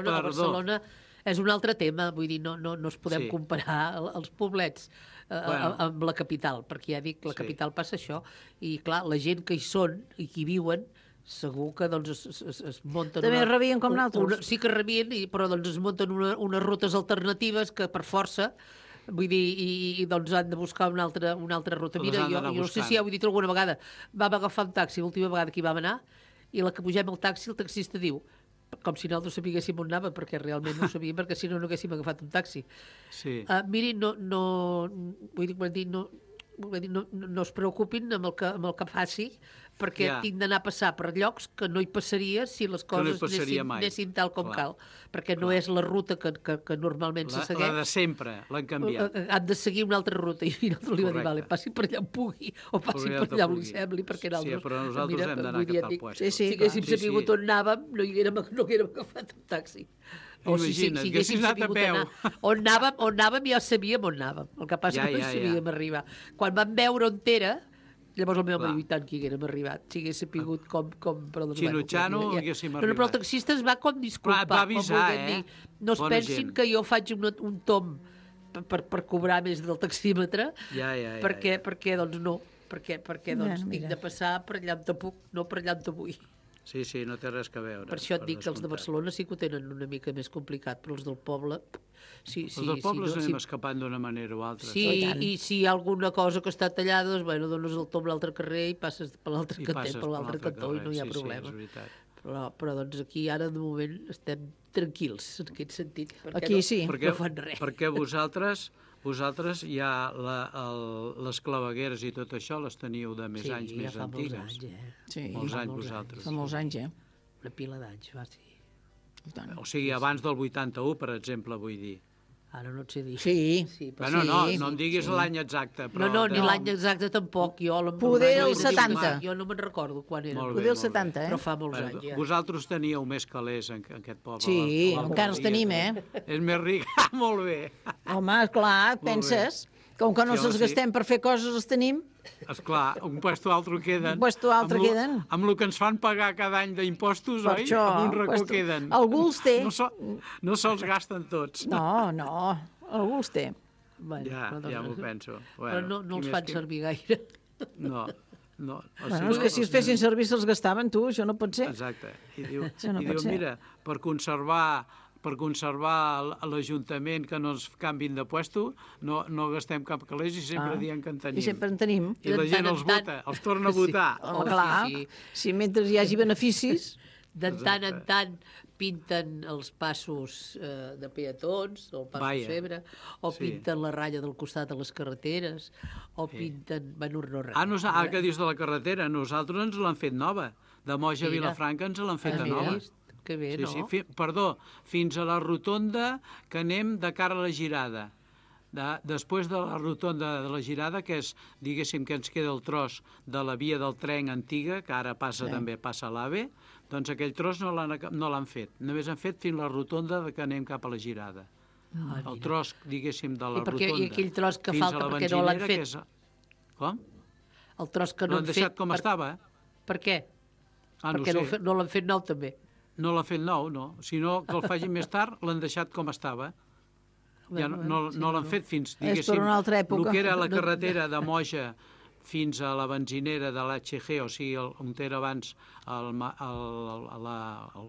Speaker 10: Barcelona és un altre tema, vull dir, no es podem comparar els poblets amb la capital, perquè ja dic, la capital passa això, i clar, la gent que hi són i que hi viuen, segur que doncs, es munten...
Speaker 11: També rebien com nosaltres.
Speaker 10: Sí que rebien, però doncs, es munten unes rutes alternatives que per força, vull dir, i doncs han de buscar una altra ruta. Mira, jo no sé si ja ho he dit alguna vegada, vam agafar un taxi l'última vegada que hi vam anar, i la que pugem al taxi, el taxista diu, com si nosaltres sabíssim on anava, perquè realment no ho sabíem, perquè si no haguéssim agafat un taxi. Miri, no es preocupin amb el que faci, perquè tinc d'anar a passar per llocs que no hi passaria si les coses anessin tal com cal, perquè no és la ruta que normalment se segueix.
Speaker 12: La de sempre, l'han canviat.
Speaker 10: Han de seguir una altra ruta, i nosaltres li va dir, vale, passi per allà on pugui, o passi per allà on li sembli, perquè nosaltres...
Speaker 12: Sí, però nosaltres hem d'anar cap al puesto.
Speaker 10: Si haguéssim sabut on anàvem, no haguérem agafat un taxi. O si haguéssim sabut on anàvem, ja sabíem on anàvem. El que passa que no sabíem arribar. Quan vam veure on era, llavors el meu home diu, tant que hi haguérem arribat, si hagués sapigut com...
Speaker 12: Xinutxano haguéssim arribat.
Speaker 10: Però el taxista es va com disculpar.
Speaker 12: Va avisar,
Speaker 10: no es pensin que jo faig un tom per cobrar més del taxímetre, perquè doncs no, perquè tinc de passar per allà on puc, no per allà on vull.
Speaker 12: Sí, no té res a veure.
Speaker 10: Per això et dic que els de Barcelona sí que ho tenen una mica més complicat, però els del poble...
Speaker 12: Els del poble anem escapant d'una manera o altra.
Speaker 10: Sí, i si hi ha alguna cosa que està tallada, doncs, bueno, dones el tom a l'altre carrer i passes per l'altre cantó i no hi ha problema. Però doncs aquí ara, de moment, estem tranquils, en aquest sentit, perquè no fan res.
Speaker 12: Perquè vosaltres ja les clavegueres i tot això les teniu de més anys més antigues.
Speaker 11: Sí,
Speaker 12: molts anys vosaltres.
Speaker 11: Fa molts anys,
Speaker 10: Una pila d'anys, va, sí.
Speaker 12: O sigui, abans del 81, per exemple, vull dir.
Speaker 10: Ara no et sé dir.
Speaker 11: Sí.
Speaker 12: Bueno, no em diguis l'any exacte.
Speaker 10: No, ni l'any exacte tampoc.
Speaker 11: Poder el 70.
Speaker 10: Jo no me'n recordo quan era.
Speaker 11: Poder el 70,
Speaker 10: Però fa molts anys, ja.
Speaker 12: Vosaltres teníeu més calés en aquest poble.
Speaker 11: Sí, encara els tenim,
Speaker 12: És més ric. Molt bé.
Speaker 11: Home, esclar, penses... Com que no se'ls gastem per fer coses, els tenim.
Speaker 12: Esclar, un puesto altre queden.
Speaker 11: Un puesto altre queden.
Speaker 12: Amb el que ens fan pagar cada any d'impostos, oi?
Speaker 11: Això,
Speaker 12: amb un racó queden.
Speaker 11: Algú els té.
Speaker 12: No se'ls gasten tots.
Speaker 11: No, algú els té.
Speaker 12: Ja m'ho penso.
Speaker 10: Però no els fan servir gaire.
Speaker 12: No.
Speaker 11: Bueno, és que si els fessin servir se'ls gastaven, tu, això no pot ser.
Speaker 12: Exacte. I diu, mira, per conservar l'Ajuntament que no ens canvin de puesto, no gastem cap calés i sempre diem que en tenim.
Speaker 11: I sempre en tenim.
Speaker 12: I la gent els vota, els torna a votar.
Speaker 11: Clar, si mentre hi hagi beneficis...
Speaker 10: De tant en tant pinten els passos de peatons, o el pas de Febre, o pinten la ratlla del costat de les carreteres, o pinten... Bueno, no res.
Speaker 12: Que dius de la carretera? Nosaltres ens l'han fet nova. De Moja a Vilafranca ens l'han fet nova.
Speaker 10: Que bé, no?
Speaker 12: Perdó, fins a la rotonda que anem de cara a la Girada. Després de la rotonda de la Girada, que és, diguéssim, que ens queda el tros de la via del tren antiga, que ara també passa a l'AVE, doncs aquell tros no l'han fet. Només han fet fins a la rotonda que anem cap a la Girada. El tros, diguéssim, de la rotonda.
Speaker 10: I aquell tros que falta perquè no l'han fet?
Speaker 12: Com?
Speaker 10: El tros que no han fet...
Speaker 12: L'han deixat com estava.
Speaker 10: Per què? Perquè no l'han fet nou, també.
Speaker 12: No l'ha fet nou, no. Si no, que el facin més tard, l'han deixat com estava. Ja no l'han fet fins, diguéssim,
Speaker 11: és per una altra època.
Speaker 12: El que era la carretera de Moja fins a la benzinera de l'HG, o sigui, on era abans el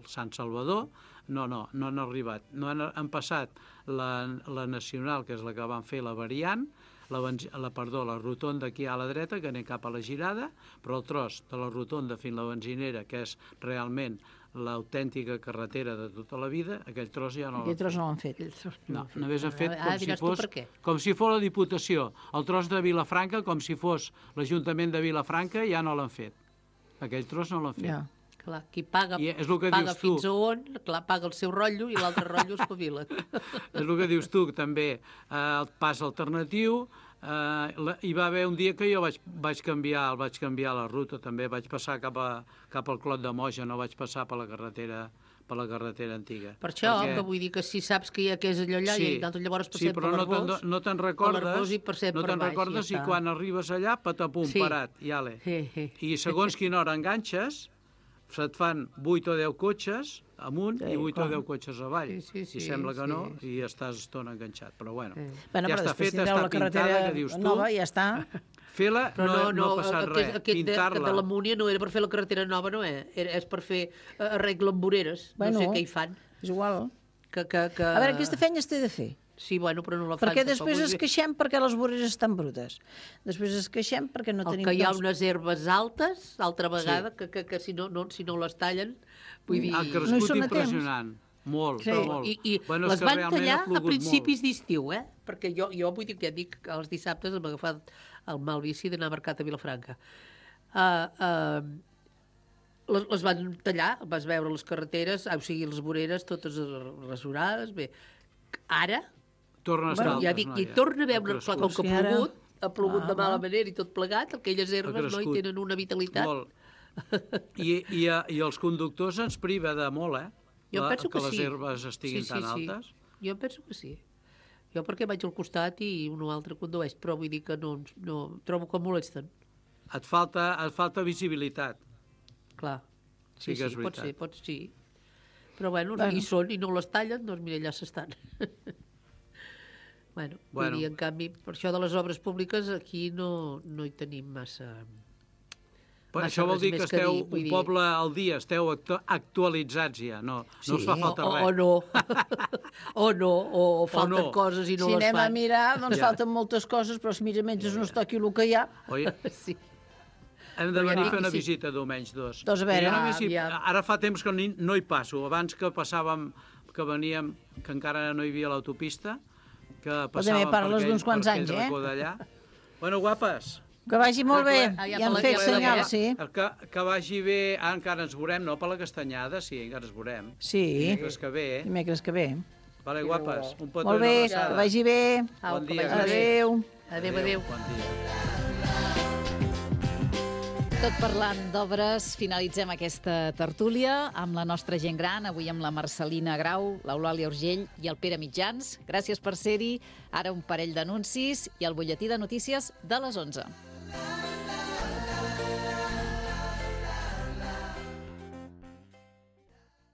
Speaker 12: Sant Salvador, no han arribat. No han passat la Nacional, que és la que van fer la variant, la rotonda aquí a la dreta, que anem cap a la Girada, però el tros de la rotonda fins a la benzinera, que és realment l'autèntica carretera de tota la vida, aquell tros ja no l'han fet.
Speaker 11: Aquell tros no l'han fet.
Speaker 12: No, només han fet com si fos la Diputació. El tros de Vilafranca, com si fos l'Ajuntament de Vilafranca, ja no l'han fet. Aquell tros no l'han fet.
Speaker 10: Ja. Clar, qui paga fins a on, clar, paga el seu rotllo i l'altre rotllo es pavila.
Speaker 12: És el que dius tu, també, el pas alternatiu, hi va haver un dia que jo vaig canviar la ruta, també vaig passar cap al Clot de Moja, no vaig passar per la carretera antiga.
Speaker 10: Per això, que vull dir que si saps que és allò allà, i llavors passem per l'Arbós,
Speaker 12: no te'n recordes, i quan arribes allà, patapum, parat, i ale. I segons quina hora enganxes, se't fan 8 o 10 cotxes amunt i 8 o 10 cotxes avall. I sembla que no, i estàs estona enganxat. Però bueno, ja està feta, està pintada, que dius tu.
Speaker 11: Nova, ja està.
Speaker 12: Fer-la no ha passat res, pintar-la.
Speaker 10: De la Múnia no era per fer la carretera nova, no és per fer arreglo amb voreres, no sé què hi fan.
Speaker 11: És igual.
Speaker 10: A
Speaker 11: veure, aquesta feina es té de fer.
Speaker 10: Sí, bueno, però no la fan.
Speaker 11: Perquè després es queixem perquè les voreres estan brutes. Després es queixem perquè no tenim...
Speaker 10: O que hi ha unes herbes altes, altra vegada, que si no les tallen, vull dir...
Speaker 12: Ha crescut impressionant. Molt, molt.
Speaker 10: I les van tallar a principis d'estiu, perquè jo vull dir que ja dic que els dissabtes hem agafat el mal vici d'anar a mercat a Vilafranca. Les van tallar, vas veure les carreteres, o sigui, les voreres totes rasurades, bé. Ara...
Speaker 12: Torna a estar altres,
Speaker 10: ja dic, i torna a veure, com que ha plogut de mala manera i tot plegat, aquelles herbes no hi tenen una vitalitat.
Speaker 12: Molt. I els conductors ens priva de molt,
Speaker 10: Jo penso que
Speaker 12: les herbes estiguin tan altes.
Speaker 10: Jo penso que sí. Jo perquè vaig al costat i un o altre condueix, però vull dir que no trobo que molesten.
Speaker 12: Et falta visibilitat.
Speaker 10: Clar.
Speaker 12: Sí que és veritat.
Speaker 10: Pot ser. Però bueno, hi són i no les tallen, doncs mira, allà s'estan. Vull dir, en canvi, per això de les obres públiques aquí no hi tenim massa...
Speaker 12: Això vol dir que esteu un poble al dia, esteu actualitzats ja, no us fa falta res.
Speaker 10: O falten coses i no les fan.
Speaker 11: Si anem a mirar, doncs falten moltes coses, però si mira menys no es toqui el que hi ha.
Speaker 10: Sí.
Speaker 12: Hem de venir a fer una visita diumenge 2.
Speaker 11: Doncs a veure,
Speaker 12: ara fa temps que no hi passo. Abans que passàvem, que veníem, que encara no hi havia l'autopista, que passàvem per aquell racó d'allà. Bueno, guapes.
Speaker 11: Que vagi molt bé. Ja han fet senyal, sí.
Speaker 12: Que vagi bé. Encara ens veurem, no? Per la Castanyada, sí, encara ens veurem.
Speaker 11: Sí.
Speaker 12: Dimecres que ve.
Speaker 11: Dimecres que ve.
Speaker 12: Vale, guapes. Un petó
Speaker 11: molt bé, que vagi bé.
Speaker 12: Bon dia.
Speaker 11: Adéu.
Speaker 10: Adéu.
Speaker 12: Bon dia.
Speaker 6: Tot parlant d'obres, finalitzem aquesta tertúlia amb la nostra gent gran, avui amb la Marcelina Grau, l'Eulàlia Urgell i el Pere Mitjans. Gràcies per ser-hi. Ara un parell d'anuncis i el butlletí de notícies de les 11.